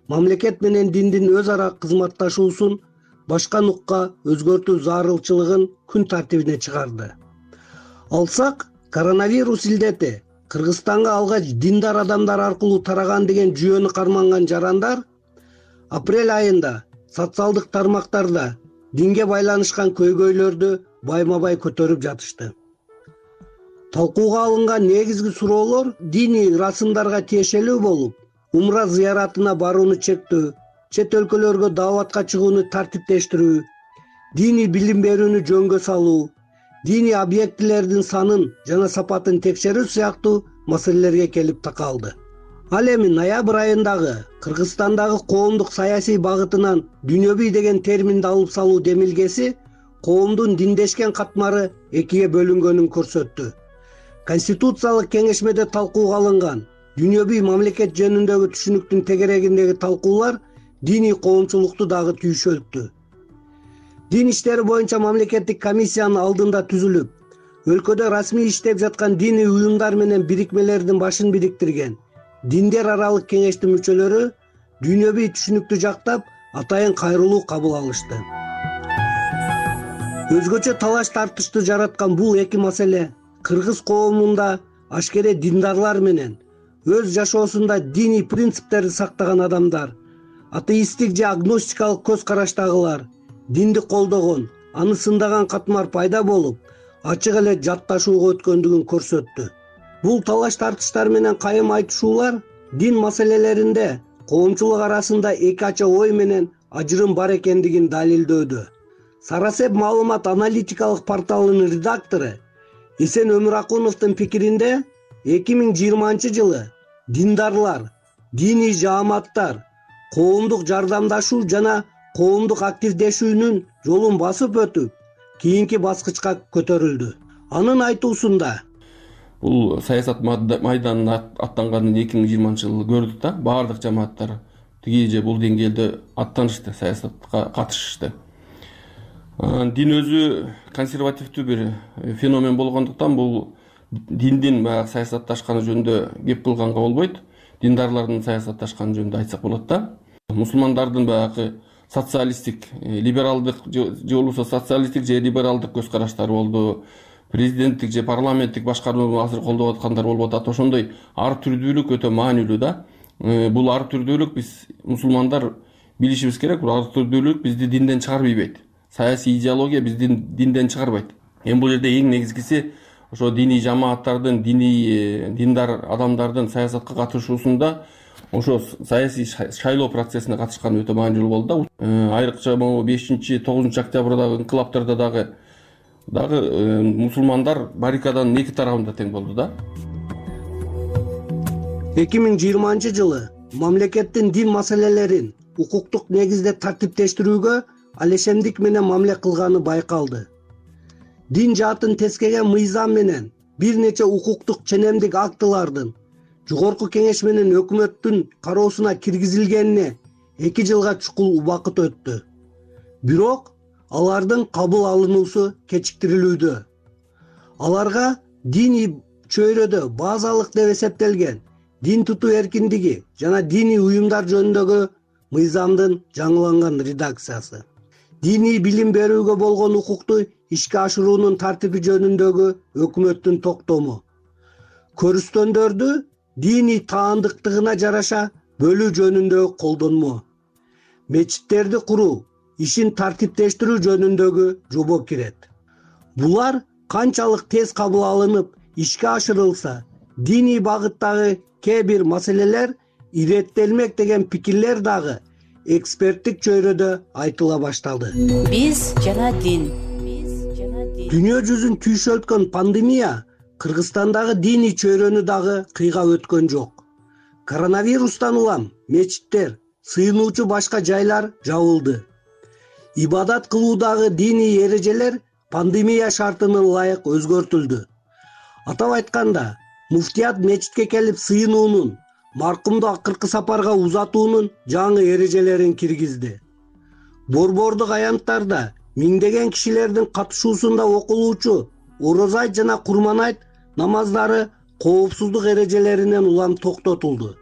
мамлекет менен диндин өз ара кызматташуусун башка нукка өзгөртүү зарылчылыгын күн тартибине чыгарды. Алсак, коронавирус илдети Кыргызстанга алгач диндар адамдар аркылуу тараган деген жүйөнү карманган жарандар апрель айында социалдык тармактарда динге байланышкан көйгөйлөрдү байма-бай көтөрүп жатышты. Талкууга алынган негизги суроолор диний расымдарга тиешелүү болуп, умра зыяратына барууну чектөө, чет өлкөлөргө дааватка чыгууну тартиптештирүү, диний билим берүүнү жөнгө салуу, диний объектилердин санын жана сапатын текшерүү сыяктуу маселелерге келип такалды. Ал эми ноябрь айындагы Кыргызстандагы коомдук саясий багытынан дүйнөбүй деген терминди алып салуу демилгеси коомдун диндешкен катмары экиге бөлүнгөнүн көрсөттү. Конституциялык кеңешмеде талкууга алынган дүйнөбүй мамлекет жөнүндөгү түшүнүктүн тегерегиндеги талкуулар диний коомчулукту дагы түйшөлттү. Дин иштери боюнча мамлекеттик комиссиянын алдында түзүлүп, өлкөдө расмий иштеп жаткан диний уюмдар менен бирикмелердин башын бириктирген диндер аралык кеңештин мүчөлөрү дүйнөбүй түшүнүктү жактап, атайын кайрылуу кабыл алышты. Өзгөчө талаш тартышты жараткан бул эки маселе кыргыз коомунда ашкере диндарлар менен өз жашоосунда диний принциптерди сактаган адамдар, атеисттик же агностикалык көз караштагылар, динди колдогон, аны сындаган катмар пайда болуп, ачык эле жатташууга өткөндүгүн көрсөттү. Бул талаш тартыштар менен кайым айтышуулар дин маселелеринде коомчулук арасында эки ача ой менен ажырым бар экендигин далилдөөдө. Сарасеп маалымат аналитикалык порталынын редактору Эсен Өмүракуновдун пикиринде эки миң жыйырманчы жылы диндарлар, диний жааматтар коомдук жардамдашуу жана коомдук активдешүүнүн жолун басып өтүп, кийинки баскычка көтөрүлдү. Анын айтуусунда бул саясат майданына аттанганын эки миң жыйырманчы жылы көрдүк да, баардык жамааттар тиги же бул деңгээлде аттанышты, саясатка катышышты. Дин өзү консервативдүү бир феномен болгондуктан бул диндин баягы саясатташканы жөнүндө кеп кылганга болбойт. Диндарлардын саясатташканы жөнүндө айтсак болот да. Мусулмандардын баягы социалисттик, либералдык же болбосо социалисттик же либералдык көз караштары болду. Президенттик же парламенттик башкарууну азыр колдоп аткандар болуп атат. Ошондой ар түрдүүлүк өтө маанилүү да. Бул ар түрдүүлүк биз мусулмандар билишибиз керек. Бул ар түрдүүлүк бизди динден чыгарбайт. Саясий идеология бизди динден чыгарбайт. эми бул жерде эң негизгиси ошо диний жамааттардын, диний диндар адамдардын саясатка катышуусунда ошо саясий шайлоо процессине катышкан өтө маанилүү болду да. Айрыкча могу бешинчи тогузунчу октябрдагы инкылаптарда дагы дагы мусулмандар баррикаданын эки тарабында тең болду да. эки миң жыйырманчы жылы мамлекеттин дин маселелерин укуктук негизде тартиптештирүүгө алешемдик менен мамиле кылганы байкалды. Дин жаатын тескеген мыйзам менен бир нече укуктук ченемдик актылардын жогорку кеңеш менен өкмөттүн кароосуна киргизилгенине эки жылга чукул убакыт өттү. Бирок алардын кабыл алынуусу кечиктирилүүдө. Аларга диний чөйрөдө базалык деп эсептелген дин тутуу эркиндиги жана диний уюмдар жөнүндөгү мыйзамдын жаңыланган редакциясы, диний билим берүүгө болгон укукту ишке ашыруунун тартиби жөнүндөгү өкмөттүн токтому, көрүстөндөрдү диний таандыктыгына жараша бөлүү жөнүндөгү колдонмо, мечиттерди куруу ишин тартиптештирүү жөнүндөгү жобо кирет. Булар канчалык тез кабыл алынып ишке ашырылса, диний багыттагы кээ бир маселелер иреттелмек деген пикирлер дагы эксперттик чөйрөдө айтыла башталды. Биз жана дин. Дүйнө жүзүн түйшөлткөн пандемия Кыргызстандагы диний чөйрөнү дагы кыйга өткөн жок. Коронавирустан улам мечиттер, сыйынуучу башка жайлар жабылды. Ибадат кылуудагы диний эрежелер пандемия шартына ылайык өзгөртүлдү. Атап айтканда, муфтият мечитке келип сыйынуунун, маркумду акыркы сапарга узатуунун жаңы эрежелерин киргизди. Борбордук аянттарда миңдеген кишилердин катышуусунда окулуучу Орозайт жана Курманайт намаздары коопсуздук эрежелеринен улам токтотулду.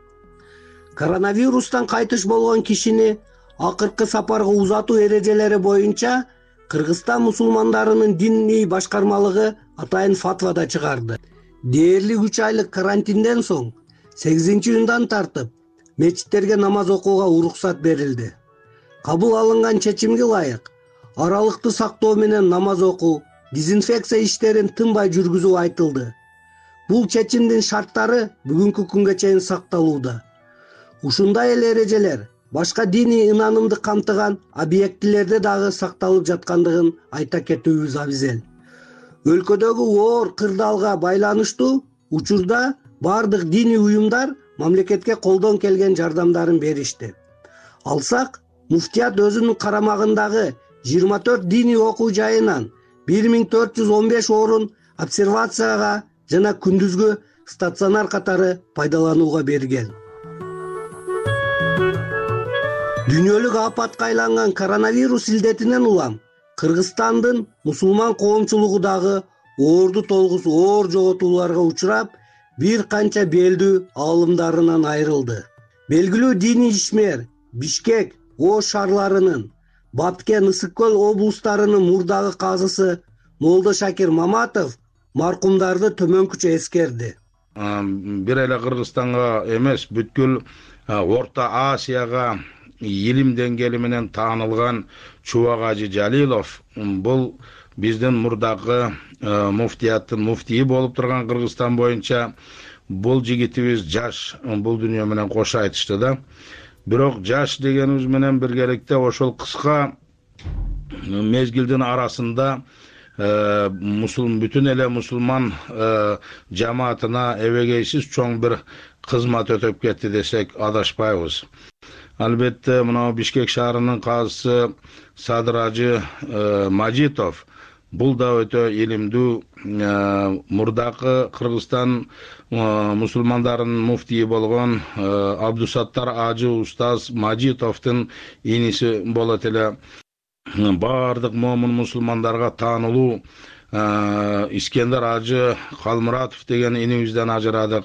Коронавирустан кайтыш болгон кишини акыркы сапарга узатуу эрежелери боюнча Кыргызстан мусулмандарынын диний башкармалыгы атайын фатва да чыгарды. Дээрлик үч айлык карантинден соң сегизинчи июндан тартып мечиттерге намаз окууга уруксат берилди. Кабыл алынган чечимге ылайык аралыкты сактоо менен намаз окуу, дезинфекция иштерин тынбай жүргүзүү айтылды. Бул чечимдин шарттары бүгүнкү күнгө чейин сакталууда. Ушундай эле эрежелер башка диний ынанымды камтыган объектилерде дагы сакталып жаткандыгын айта кетүүбүз абзел. Өлкөдөгү оор кырдаалга байланыштуу учурда бардык диний уюмдар мамлекетке колдон келген жардамдарын беришти. Алсак, муфтият өзүнүн карамагындагы жыйырма төрт диний окуу жайынан бир миң төрт жүз он беш орун обсервацияга жана күндүзгү стационар катары пайдаланууга берген. Дүйнөлүк апатка айланган коронавирус илдетинен улам Кыргызстандын мусулман коомчулугу дагы оорду толгус оор жоготууларга учурап, бир канча белдүү аалымдарынан айрылды. Белгилүү диний ишмер Бишкек, Ош шаарларынын, Баткен, Ысык көл облустарынын мурдагы казысы Молдо Шакир Маматов маркумдарды төмөнкүчө эскерди. Бир эле Кыргызстанга эмес, бүткүл Орто Азияга илим деңгээли менен таанылган Чубак Ажы Жалилов бул биздин мурдагы муфтияттын муфтийи болуп турган Кыргызстан боюнча бул жигитибиз жаш, бул дүйнө менен кош айтышты да. Бирок жаш дегенибиз менен биргеликте ошол кыска мезгилдин арасында мусулман бүтүн эле мусулман жамаатына эбегейсиз чоң бир кызмат өтөп кетти десек адашпайбыз. Албетте мына Бишкек шаарынын казысы Садыр Ажы Мажитов бул да өтө илимдүү мурдакы Кыргызстан мусулмандарынын муфтийи болгон Абдусаттар Ажы устаз Мажитовдун иниси болот эле. Бардык момун мусулмандарга таанылуу Искендер Ажы Калмуратов деген инибизден ажырадык.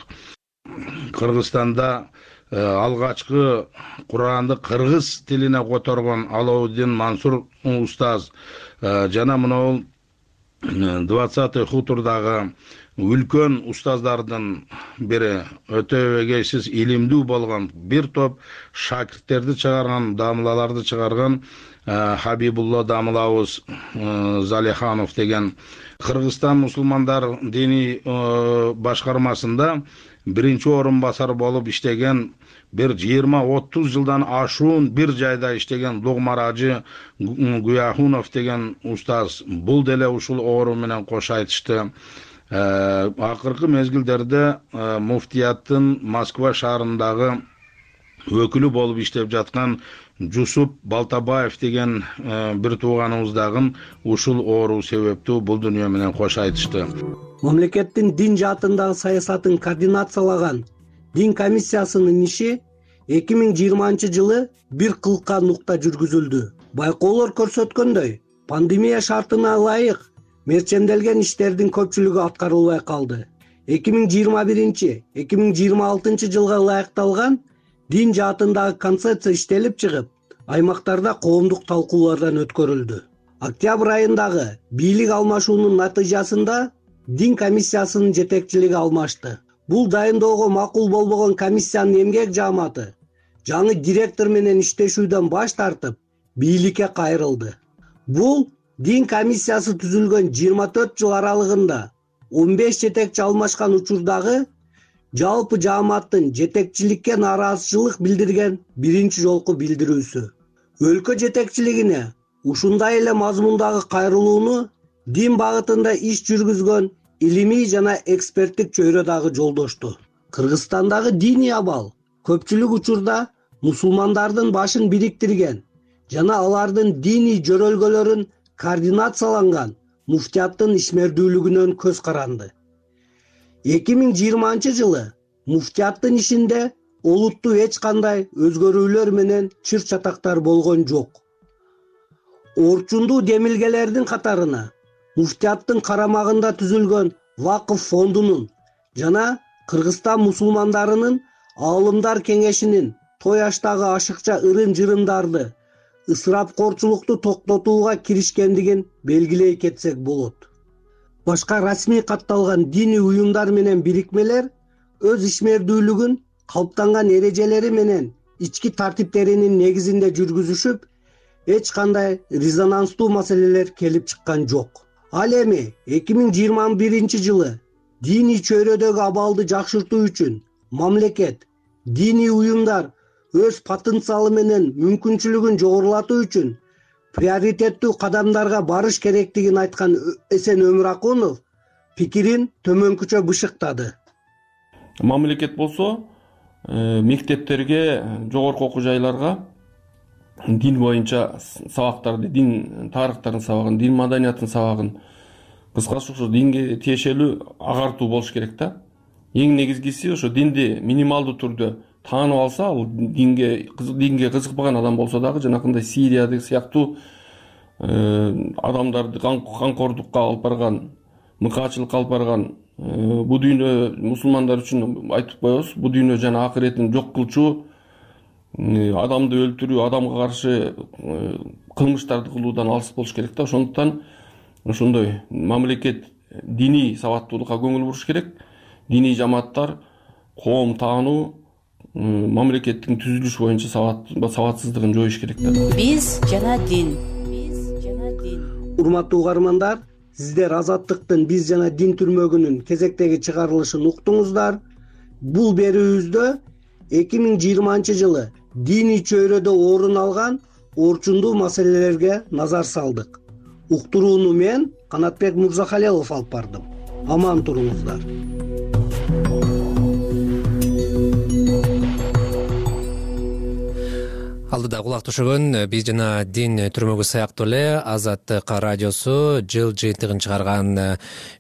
Кыргызстанда алгачкы Куранды кыргыз тилине которгон Алаудин Мансур устаз жана мына двадцатый хутурдагы үлкөн устаздардын бери өтө эгейсиз илимдүү болгон бир топ шакирттерди чыгарган, дамылаларды чыгарган Хабибулла дамылабыз Залиханов деген Кыргызстан мусулмандар диний башкармасында биринчи орун басар болуп иштеген, бир жыйырма отуз жылдан ашуун бир жайда иштеген Лугмаражы Гуяхунов деген устаз бул деле ушул оору менен кош айтышты. Акыркы мезгилдерде муфтияттын Москва шаарындагы өкүлү болуп иштеп жаткан Жусуп Балтабаев деген бир тууганыбыз дагы ушул оору себептүү бул дүйнө менен кош айтышты. Мамлекеттин дин жаатындагы саясатын координациялаган дин комиссиясынын иши эки миң жыйырманчы жылы бир кылка нукта жүргүзүлдү. Байкоолор көрсөткөндөй, пандемия шартына ылайык мерченделген иштердин көпчүлүгү аткарылбай калды. эки миң жыйырма биринчи — эки миң жыйырма алтынчы жылга ылайыкталган дин жаатындагы концепция иштелип чыгып, аймактарда коомдук талкуулардан өткөрүлдү. Октябрь айындагы бийлик алмашуунун натыйжасында дин комиссиясынын жетекчилиги алмашты. Бул дайындоого макул болбогон комиссиянын эмгек жааматы жаңы директор менен иштешүүдөн баш тартып, бийликке кайрылды. Бул дин комиссиясы түзүлгөн жыйырма төрт жыл аралыгында он беш жетекчи алмашкан учурдагы жалпы жааматтын жетекчиликке нааразычылык билдирген биринчи жолку билдирүүсү. Өлкө жетекчилигине ушундай эле мазмундагы кайрылууну дин багытында иш жүргүзгөн илимий жана эксперттик чөйрө дагы жолдошту. Кыргызстандагы диний абал көпчүлүк учурда мусулмандардын башын бириктирген жана алардын диний жөрөлгөлөрүн координацияланган муфтияттын ишмердүүлүгүнөн көз каранды. эки миң жыйырманчы жылы муфтияттын ишинде олуттуу эч кандай өзгөрүүлөр менен чыр чатактар болгон жок. Орчундуу демилгелердин катарына муфтияттын карамагында түзүлгөн Вакыф фондунун жана Кыргызстан мусулмандарынын аалымдар кеңешинин той аштагы ашыкча ырым-жырымдарды, ысырапкорчулукту токтотууга киришкендигин белгилей кетсек болот. Башка расмий катталган диний уюмдар менен бирикмелер өз ишмердүүлүгүн калыптанган эрежелери менен ички тартиптеринин негизинде жүргүзүшүп, эч кандай резонанстуу маселелер келип чыккан жок. Ал эми эки миң жыйырма биринчи жылы диний чөйрөдөгү абалды жакшыртуу үчүн мамлекет, диний уюмдар өз потенциалы менен мүмкүнчүлүгүн жогорулатуу үчүн приоритеттүү кадамдарга барыш керектигин айткан Эсен Өмүракунов пикирин төмөнкүчө бышыктады. Мамлекет болсо мектептерге, жогорку окуу жайларга дин боюнча сабактарды, дин тарыхтарын сабагын, дин маданиятын сабагын, кыскасы ошо динге тиешелүү агартуу болуш керек да. Эң негизгиси ошо динди минималдуу түрдө таанып алса, ал динге динге кызыкпаган адам болсо дагы, жанакындай Сириядагы сыяктуу адамдарды камкордукка алып барган, мыкаачылыкка алып барган, бул дүйнө мусулмандар үчүн айтып коебуз, бул дүйнө жана акыретин жок кылчу, адамды өлтүрүү, адамга каршы кылмыштарды кылуудан алыс болуш керек да. Ошондуктан ошондой мамлекет диний сабаттуулукка көңүл буруш керек. Диний жамааттар коом таануу, мамлекеттин түзүлүш боюнча сабатсыздыгын жоюш керек да. Биз жана дин. Урматтуу угармандар, сиздер Азаттыктын Биз жана дин түрмөгүнүн кезектеги чыгарылышын уктуңуздар. Бул берүүбүздө эки миң жыйырманчы жылы диний чөйрөдө орун алган орчундуу маселелерге назар салдык. Уктурууну мен Канатбек Мурзахалилов алып бардым. Аман туруңуздар. Алдыда кулак түшөгөн Биз жана дин түрмөгү сыяктуу эле Азаттык радиосу жыл жыйынтыгын чыгарган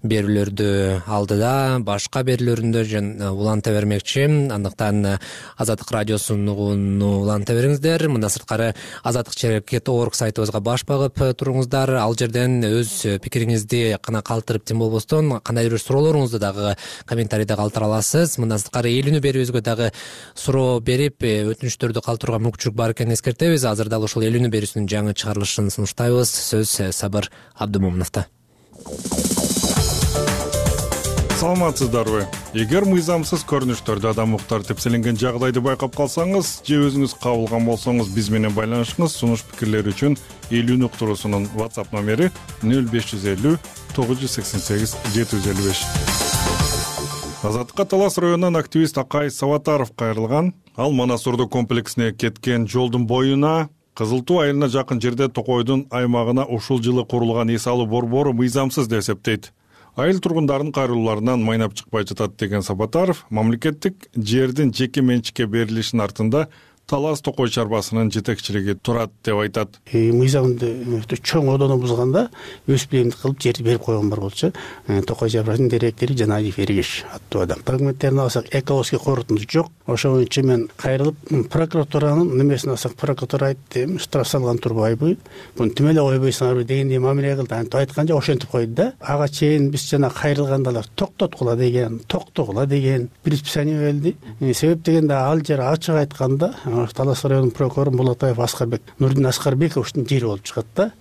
берүүлөрдү алдыда, башка берүүлөрүндө уланта бермекчи. Андыктан Азаттык радиосун уланта бериңиздер. Мындан сырткары азаттык чекит точка орг сайтыбызга баш багып туруңуздар. Ал жерден өз пикириңизди гана калтырып, тим болбостон кандайдыр бир суроолоруңузду дагы комментарийде калтыра аласыз. Мындан сырткары элүүнү берүүбүзгө дагы суроо берип, өтүнүчтөрдү калтырууга мүмкүнчүлүк бар экенин эскертебиз. Азыр дал ушул элүүнү берүүсүнүн жаңы чыгарылышын сунуштайбыз. Сөз Сабыр Абдымомуновдо. саламатсыздарбы? Эгер мыйзамсыз көрүнүштөрдө адам укуктары тепселенген жагдайды байкап калсаңыз же өзүңүз кабылган болсоңуз биз менен байланышыңыз. Сунуш пикирлер үчүн элүү уктуруусунун WhatsApp номери нөл беш жүз элүү тогуз жүз сексен сегиз жети жүз элүү беш. Азаттыкка Талас районунан активист Акай Сабатаров кайрылган. Ал Манас Ордо комплексине кеткен жолдун боюна Кызыл Туу айылына жакын жерде Токойдун аймагына ушул жылы курулган эс алуу борбору мыйзамсыз деп эсептейт. Айыл тургундарынын кайрылууларынан майнап чыкпай жатат деген Сабатаров мамлекеттик жердин жеке менчикке берилишинин артында Талас Токой чарбасынын жетекчилиги турат деп айтат. Мыйзамды чоң одону бузганда өз билимди кылып жерди берип койгон бар болчу. Токой чарбасынын директори Жаналиев Эргеш аттуу адам. Документтерин алсак экологический корутунду жок. Ошо боюнча мен кайрылып прокуратуранын немесин алсак, прокуратура айтты, штраф салган турбайбы, буну тим эле койбойсуңарбы дегендей мамиле кылды. Антип айтканча ошентип койду да. Ага чейин биз жана кайрылгандалар токтоткула деген, токтогула деген предписание берилди. Себеп дегенде ал жер ачык айтканда Талас районунун прокурору Булатаев Аскарбек, Нурдин Аскарбековичтин жери болуп чыгат да.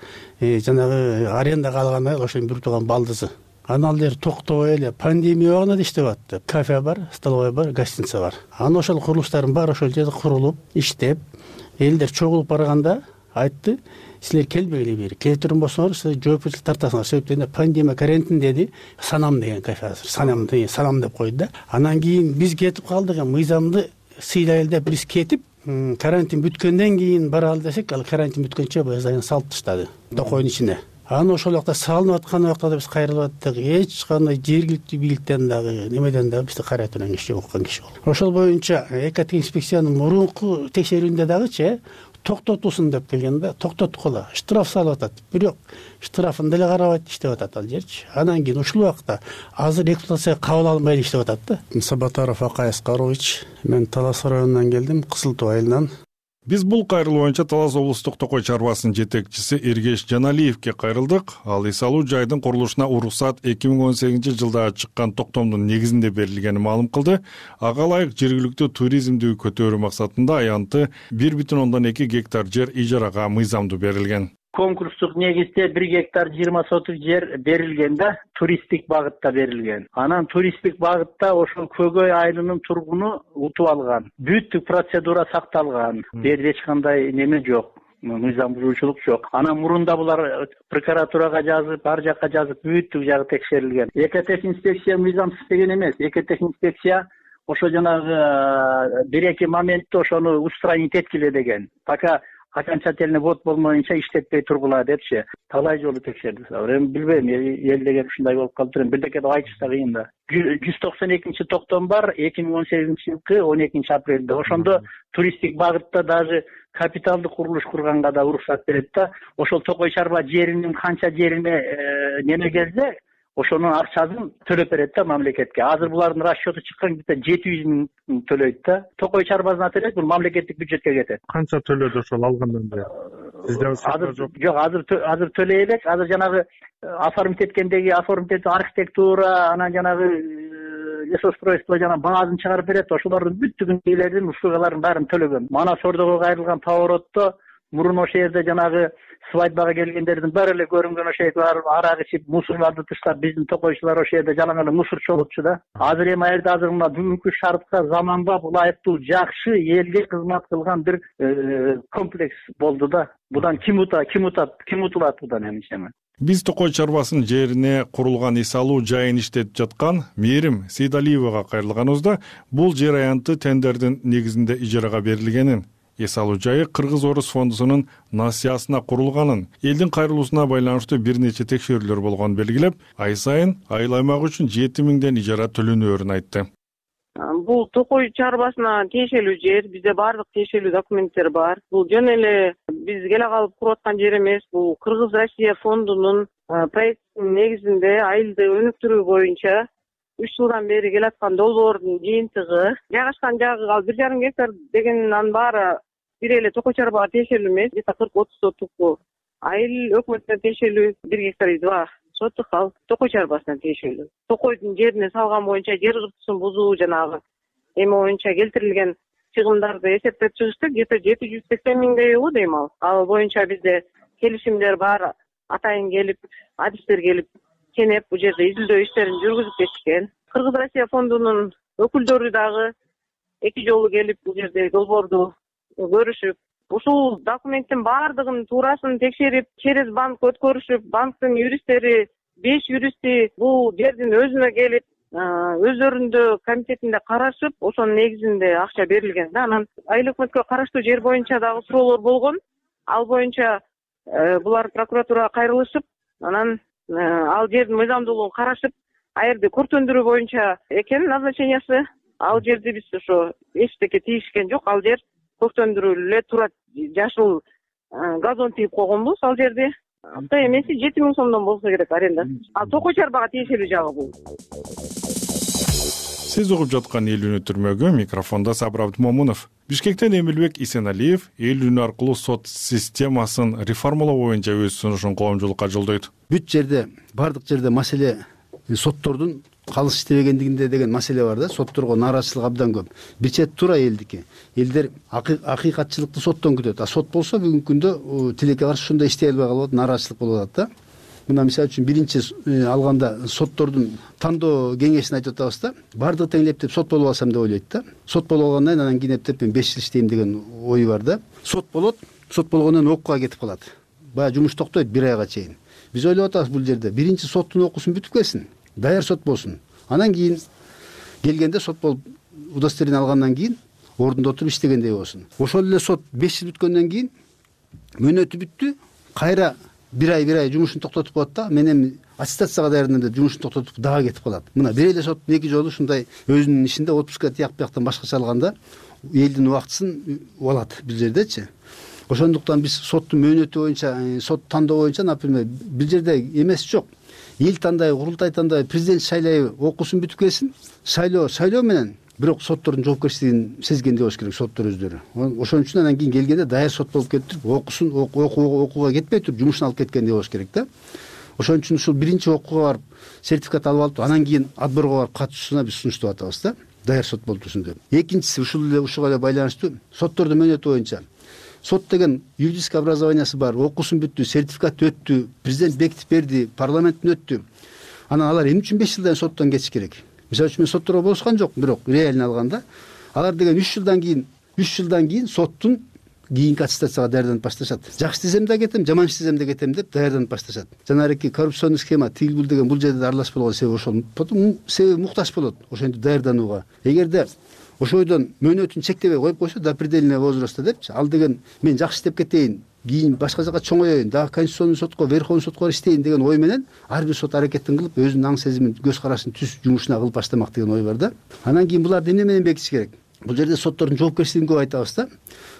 Жанагы арендага алган айыл ошонун бир тууган балдызы. Анан ал жер токтобой эле пандемия убагында да иштеп атты. Кафе бар, столовая бар, гостиница бар. Анан ошол курулуштардын баары ошол жерде курулуп, иштеп, элдер чогулуп барганда айтты, силер келбегиле бери. Келтирин болсоңор, силер жоопкерчилик тартасыңар. Себеп дегенде пандемия карантин деди. Санам деген кафе азыр. Санам деген санам деп койду да. Анан кийин биз кетип калдык, мыйзамды сыйлайлы деп биз кетип, карантин бүткөндөн кийин баралы десек, ал карантин бүткөнчө баягы салып таштады Токойдун ичине. Анан ошол убакта салынып аткан убакта биз кайрылып аттык. Эч кандай жергиликтүү бийликтен дагы, немеден дагы бизди кайратын киши жок, уккан киши болду. Ошол боюнча экоинспекциянын мурунку текшерүүндө дагычы токтотусун деп келгенде токтоткула, штраф салып атат. Бирок штрафын деле карабайт, иштеп атат ал жерчи. Анан кийин ушул убакта азыр эксплуатацияга кабыл алынбай иштеп атат да. Сабатаров Акай Аскарович, мен Талас районунан келдим, Кызыл Туу айылынан. Биз бул кайрылуу боюнча Талас облустук Токой чарбасынын жетекчиси Эргеш Жаналиевке кайрылдык. Ал эс алуу жайдын курулушуна уруксат эки миң он сегизинчи жылда чыккан токтомдун негизинде берилгенин маалым кылды. Ага ылайык жергиликтүү туризмди көтөрүү максатында аянты бир бүтүн ондон эки гектар жер ижарага мыйзамдуу берилген. Конкурстук негизде бир гектар жыйырма сотук жер берилген да, туристтик багытта берилген. Анан туристтик багытта ошол Көгөй айылынын тургуну утуп алган. Бүттүк процедура сакталган. Берде эч кандай неме жок. Мыйзам бузуучулук жок. Анан мурунда булар прокуратурага жазып, ар жакка жазып, бүттүк жагы текшерилген. Экотех инспекция мыйзамсыз деген эмес. Экотех инспекция ошо жанагы бир эки моментте ошону устранить эткиле деген. Пока окончательный вод болмоюнча иштетпей тургула депчи. Талай жолу текшердик. Эми билбейм, эл деген ушундай болуп калыптыр. Бирдеке деп айтыш да кыйын да. жүз токсон экинчи токтом бар, эки миң он сегизинчи жылкы он экинчи апрелде. Ошондо туристтик багытта даже капиталдык курулуш курганга да уруксат берет да. Ошол Токой чарба жеринин канча жерине неме келсе, ошонун акчасын төлөп берет да мамлекетке. Азыр булардын расчету чыккан где-то жети жүз миң төлөйт да. Токой чарбасына төлөйт, бул мамлекеттик бюджетке кетет. Канча төлөдү ошол алгандан бери? Сизде азыр жок. Жок, азыр азыр төлөй элек. Азыр жанагы оформить эткендеги оформить архитектура, анан жанагы лесоустройство жана баазын чыгарып берет. Ошолордун бүттүгүн үйлердин услугаларын баарын төлөгөн. Манас Ордого кайрылган поворотто мурун ошол жерде жанагы свадьбага келгендердин баары эле көрүнгөн ошол жерде арак ичип, мусорларды таштап, биздин токойчулар ошол жерде жалаң эле мусор чогултчу да. Азыр эми аерде азыр мына бүгүнкү шартка заманбап, ылайыктуу, жакшы, элге кызмат кылган бир комплекс болду да. Будан ким утат, ким утат, ким утулат будан эмне? Биз Токой чарбасынын жерине курулган эс алуу жайын иштетип жаткан Мээрим Сейдалиевага кайрылганыбызда бул жер аянты тендердин негизинде ижарага берилгенин, эс алуу жайы Кыргыз Орус фондусунун насыясына курулганын, элдин кайрылуусуна байланыштуу бир нече текшерүүлөр болгонун белгилеп, ай сайын айыл аймак үчүн жети миңден ижара төлөнөөрүн айтты. Бул Токой чарбасына тиешелүү жер, бизде баардык тиешелүү документтер бар. Бул жөн эле биз келе калып куруп аткан жер эмес. Бул Кыргыз Россия фондунун проектинин негизинде айылды өнүктүрүү боюнча үч жылдан бери келаткан долбоордун жыйынтыгы. Жайгашкан жагы ал бир жарым гектар дегенин баары бир эле Токой чарбага тиешелүү эмес. где-то кырк отуз сотук айыл өкмөтүнө тиешелүү бир гектар два сотук ал Токой чарбасына тиешелүү. Токойдун жерине салган боюнча жер кыртысын бузуу жанагы эми боюнча келтирилген чыгымдарды эсептеп чыгыштык. где-то жети жүз сексен миңдей болот дейм ал. Ал боюнча бизде келишимдер бар, атайын келип, адистер келип, кенеп бул жерде изилдөө иштерин жүргүзүп кетишкен. Кыргыз Россия фондунун өкүлдөрү дагы эки жолу келип бул жерде долбоорду көрүшүп, ушул документтин баардыгын туурасын текшерип, через банк өткөрүшүп, банктын юристтери, беш юристи бул жердин өзүнө келип, өздөрүндө комитетинде карашып, ошонун негизинде акча берилген да. Анан айыл өкмөткө караштуу жер боюнча дагы суроолор болгон. Ал боюнча булар прокуратурага кайрылышып, анан ал жердин мыйзамдуулугун карашып, а жерде көртөндүрүү боюнча экен назначениясы. Ал жерди биз ошо эчтеке тийишкен жок. Ал жер көртөндүрүү эле турат. Жашыл газон тийип койгонбуз ал жерде. Ата эмеси жети миң сомдон болсо керек аренда. Ал Токой чарбага тиешелүү жагы бул. Сиз угуп жаткан эл үнү түрмөгү, микрофондо Сабыр Абдымомунов. Бишкектен Эмилбек Исеналиев эл үнү аркылуу сот системасын реформалоо боюнча өз сунушун коомчулукка жолдойт. Бүт жерде, бардык жерде маселе соттордун калыс иштебегендигинде деген маселе бар да. Сотторго нааразычылык абдан көп. Бир чет туура элдики. Элдер акыйкатчылыкты соттон күтөт. А сот болсо бүгүнкү күндө тилекке каршы ушундай иштей албай калып, нааразычылык болуп атат да. Мына мисалы үчүн биринчи алганда соттордун тандоо кеңешин айтып атабыз да. Бардыгы тең эптеп сот болуп алсам деп ойлойт да. Сот болуп алгандан анан кийин эптеп мен беш жыл иштейм деген ой бар да. Сот болот, сот болгондон окууга кетип калат. Баягы жумуш токтойт бир айга чейин. Биз ойлоп атабыз бул жерде биринчи соттун окуусун бүтүп келсин, даяр сот болсун. Анан кийин келгенде сот болуп удостоверение алгандан кийин ордунда отуруп иштегендей болсун. Ошол эле сот беш жыл бүткөндөн кийин мөөнөтү бүттү, кайра бир ай бир ай жумушун токтотуп коет да. Мен эми аттестацияга даярдым деп жумушун токтотуп дагы кетип калат. Мына бир эле соттун эки жолу ушундай өзүнүн ишинде отпускка тияк бияктан башкача алганда элдин убактысын алат бул жердечи. Ошондуктан биз соттун мөөнөтү боюнча, сот тандоо боюнча, например, бул жерде эмес жок. Эл тандай, курултай тандай, президент шайлайбы, окуусун бүтүп келсин, шайлоо, шайлоо менен, бирок соттордун жоопкерчилигин сезгендей болуш керек соттор өздөрү. Ошон үчүн анан кийин келгенде даяр сот болуп кетип туруп, окуусун окууга кетпей туруп, жумушун алып кеткендей болуш керек да. Ошон үчүн ушул биринчи окууга барып, сертификат алып алып, анан кийин отборго барып катышуусуна биз сунуштап атабыз да. Даяр сот болуп турсун деп. Экинчиси ушул эле ушуга эле байланыштуу соттордун мөөнөтү боюнча. Сот деген юридический образованиясы бар, окуусун бүттү, сертификат өттү, президент бекитип берди, парламенттен өттү. Анан алар эмне үчүн беш жылдан соттон кетиш керек? Мисалы үчүн мен сотторго болушкан жок, бирок реально алганда алар деген үч жылдан кийин, үч жылдан кийин соттун кийинки аттестацияга даярданып башташат. Жакшы десем да кетем, жаман десем да кетем деп даярданып башташат. Жанагы коррупционный схема тигил бул деген бул жерде аралаш болгон себеби ошол. Потом себеби муктаж болот ошентип даярданууга. Эгерде ошойдон мөөнөтүн чектебей коюп койсо до предельного возраста депчи, ал деген мен жакшы иштеп кетейин, кийин башка жака чоңоёюн, дагы конституционный сотко, верховный сотко иштейин деген ой менен ар бир сот аракетин кылып, өзүнүн аң сезимин, көз карашын түз жумушуна кылып баштамак деген ой бар да. Анан кийин буларды эмне менен бекитиш керек? Бул жерде соттордун жоопкерчилигин көп айтабыз да.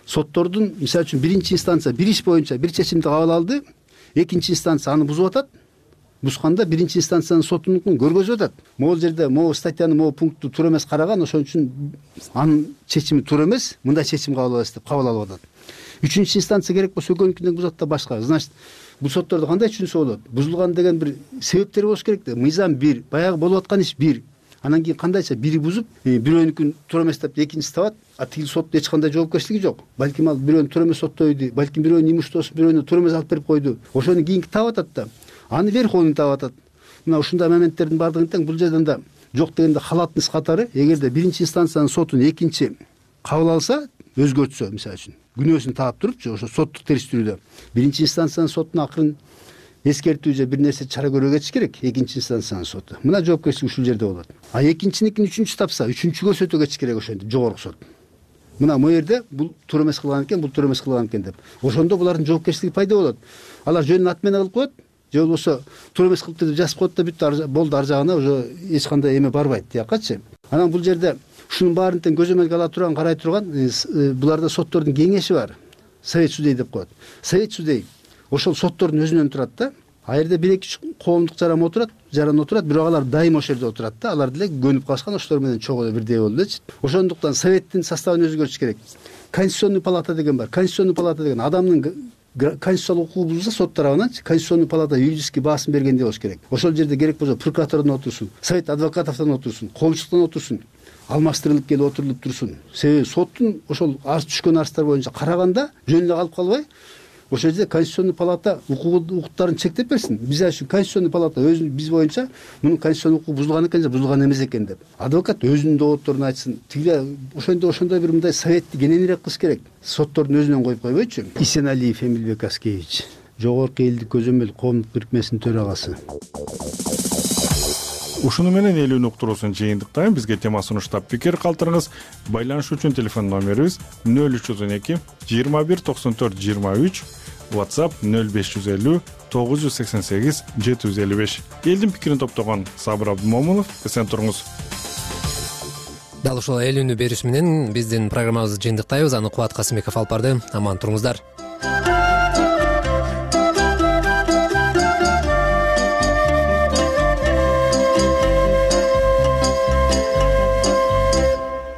Соттордун мисалы үчүн биринчи инстанция бир иш боюнча бир чечимди кабыл алды, экинчи инстанция аны бузуп атат. Бузганда биринчи инстанциянын сотунун көргөзүп атат. Могул жерде могу статьяны могу пунктту туура эмес караган, ошон үчүн анын чечими туура эмес, мындай чечим кабыл алабыз деп кабыл алып атат. Үчүнчү инстанция керек болсо экөөнүкүнөн бузат да башка. Значит, бул соттордо кандай түшүнсө болот? Бузулган деген бир себептери болуш керек да. Мыйзам бир, баягы болуп аткан иш бир. Анан кийин кандайча бири бузуп, бирөөнүкүн туура эмес деп экинчиси табат, а тигил соттун эч кандай жоопкерчилиги жок. Балким ал бирөөнү туура эмес соттойду, балким бирөөнүн имуществосун бирөөнү туура эмес алып берип койду. Ошону кийинки таап атат да. Аны верховный таап атат. Мына ушундай моменттердин баардыгын тең бул жерден да жок дегенде халатность катары, эгерде биринчи инстанциянын сотун экинчи кабыл алса, өзгөртсө, мисалы үчүн күнөөсүн таап турупчу, ошо соттук териштирүүдө биринчи инстанциянын сотуна акырын эскертүү же бир нерсе чара көрүүгө кетиш керек, экинчи инстанциянын соту. Мына жоопкерчилик ушул жерде болот. А экинчиникин үчүнчү тапса, үчүнчү көрсөтүү кетиш керек ошентип жогорку сот. Мына могу жерде бул туура эмес кылган экен, бул туура эмес кылган экен деп. Ошондо булардын жоопкерчилиги пайда болот. Алар жөнүн аты менен кылып коет, же болбосо туура эмес кылыпты деп жазып коет да бүттү, болду, ар жагына уже эч кандай эме барбайт тиякачы. Анан бул жерде ушунун баарын тең көзөмөлгө ала турган, карай турган буларда соттордун кеңеши бар. Совет судей деп коет. Совет судей ошол соттордун өзүнөн турат да. А жерде бир эки коомдук жаран отурат, жаран отурат, бирок алар дайым ошол жерде отурат да. Алар деле көнүп калышкан, ошолор менен чогуу бирдей болду элечи. Ошондуктан советтин составын өзгөртүш керек. Конституционный палата деген бар. Конституционный палата деген адамдын конституциялык укугу бузулса сот тарабынан конституционный палата юридический баасын бергендей болуш керек. Ошол жерде керек болсо прокуратурадан отурсун, совет адвокатовдон отурсун, коомчулуктан отурсун, алмаштырылып келип отурулуп турсун. Себеби соттун ошол арыз түшкөн арыздар боюнча караганда жөн эле калып калбай, ошол жерде конституционный палата укуктарын чектеп берсин. Биз үчүн конституционный палата өзү биз боюнча мунун конституционный укугу бузулган экен же бузулган эмес экен деп адвокат өзүнүн доотторун айтсын. Тиги ошондо ошондой бир мындай советти кененирээк кылыш керек. Соттордун өзүнөн коюп койбойчу. Исеналиев Эмилбек Аскевич, Жогорку элдик көзөмөл коомдук бирикмесинин төрагасы. Ушуну менен элүүн уктуруусун жыйынтыктайм. Бизге тема сунуштап пикир калтырыңыз. Байланыш үчүн телефон номерибиз нөл үч жүз он эки жыйырма бир токсон төрт жыйырма үч, WhatsApp нөл беш жүз элүү тогуз жүз сексен сегиз жети жүз элүү беш. Элдин пикирин топтогон Сабыр Абдымомунов, эсен туруңуз. Дал ушул элүүнү бериш менен биздин программабызды жыйынтыктайбыз. Аны Кубат Касымбеков алып барды. Аман туруңуздар.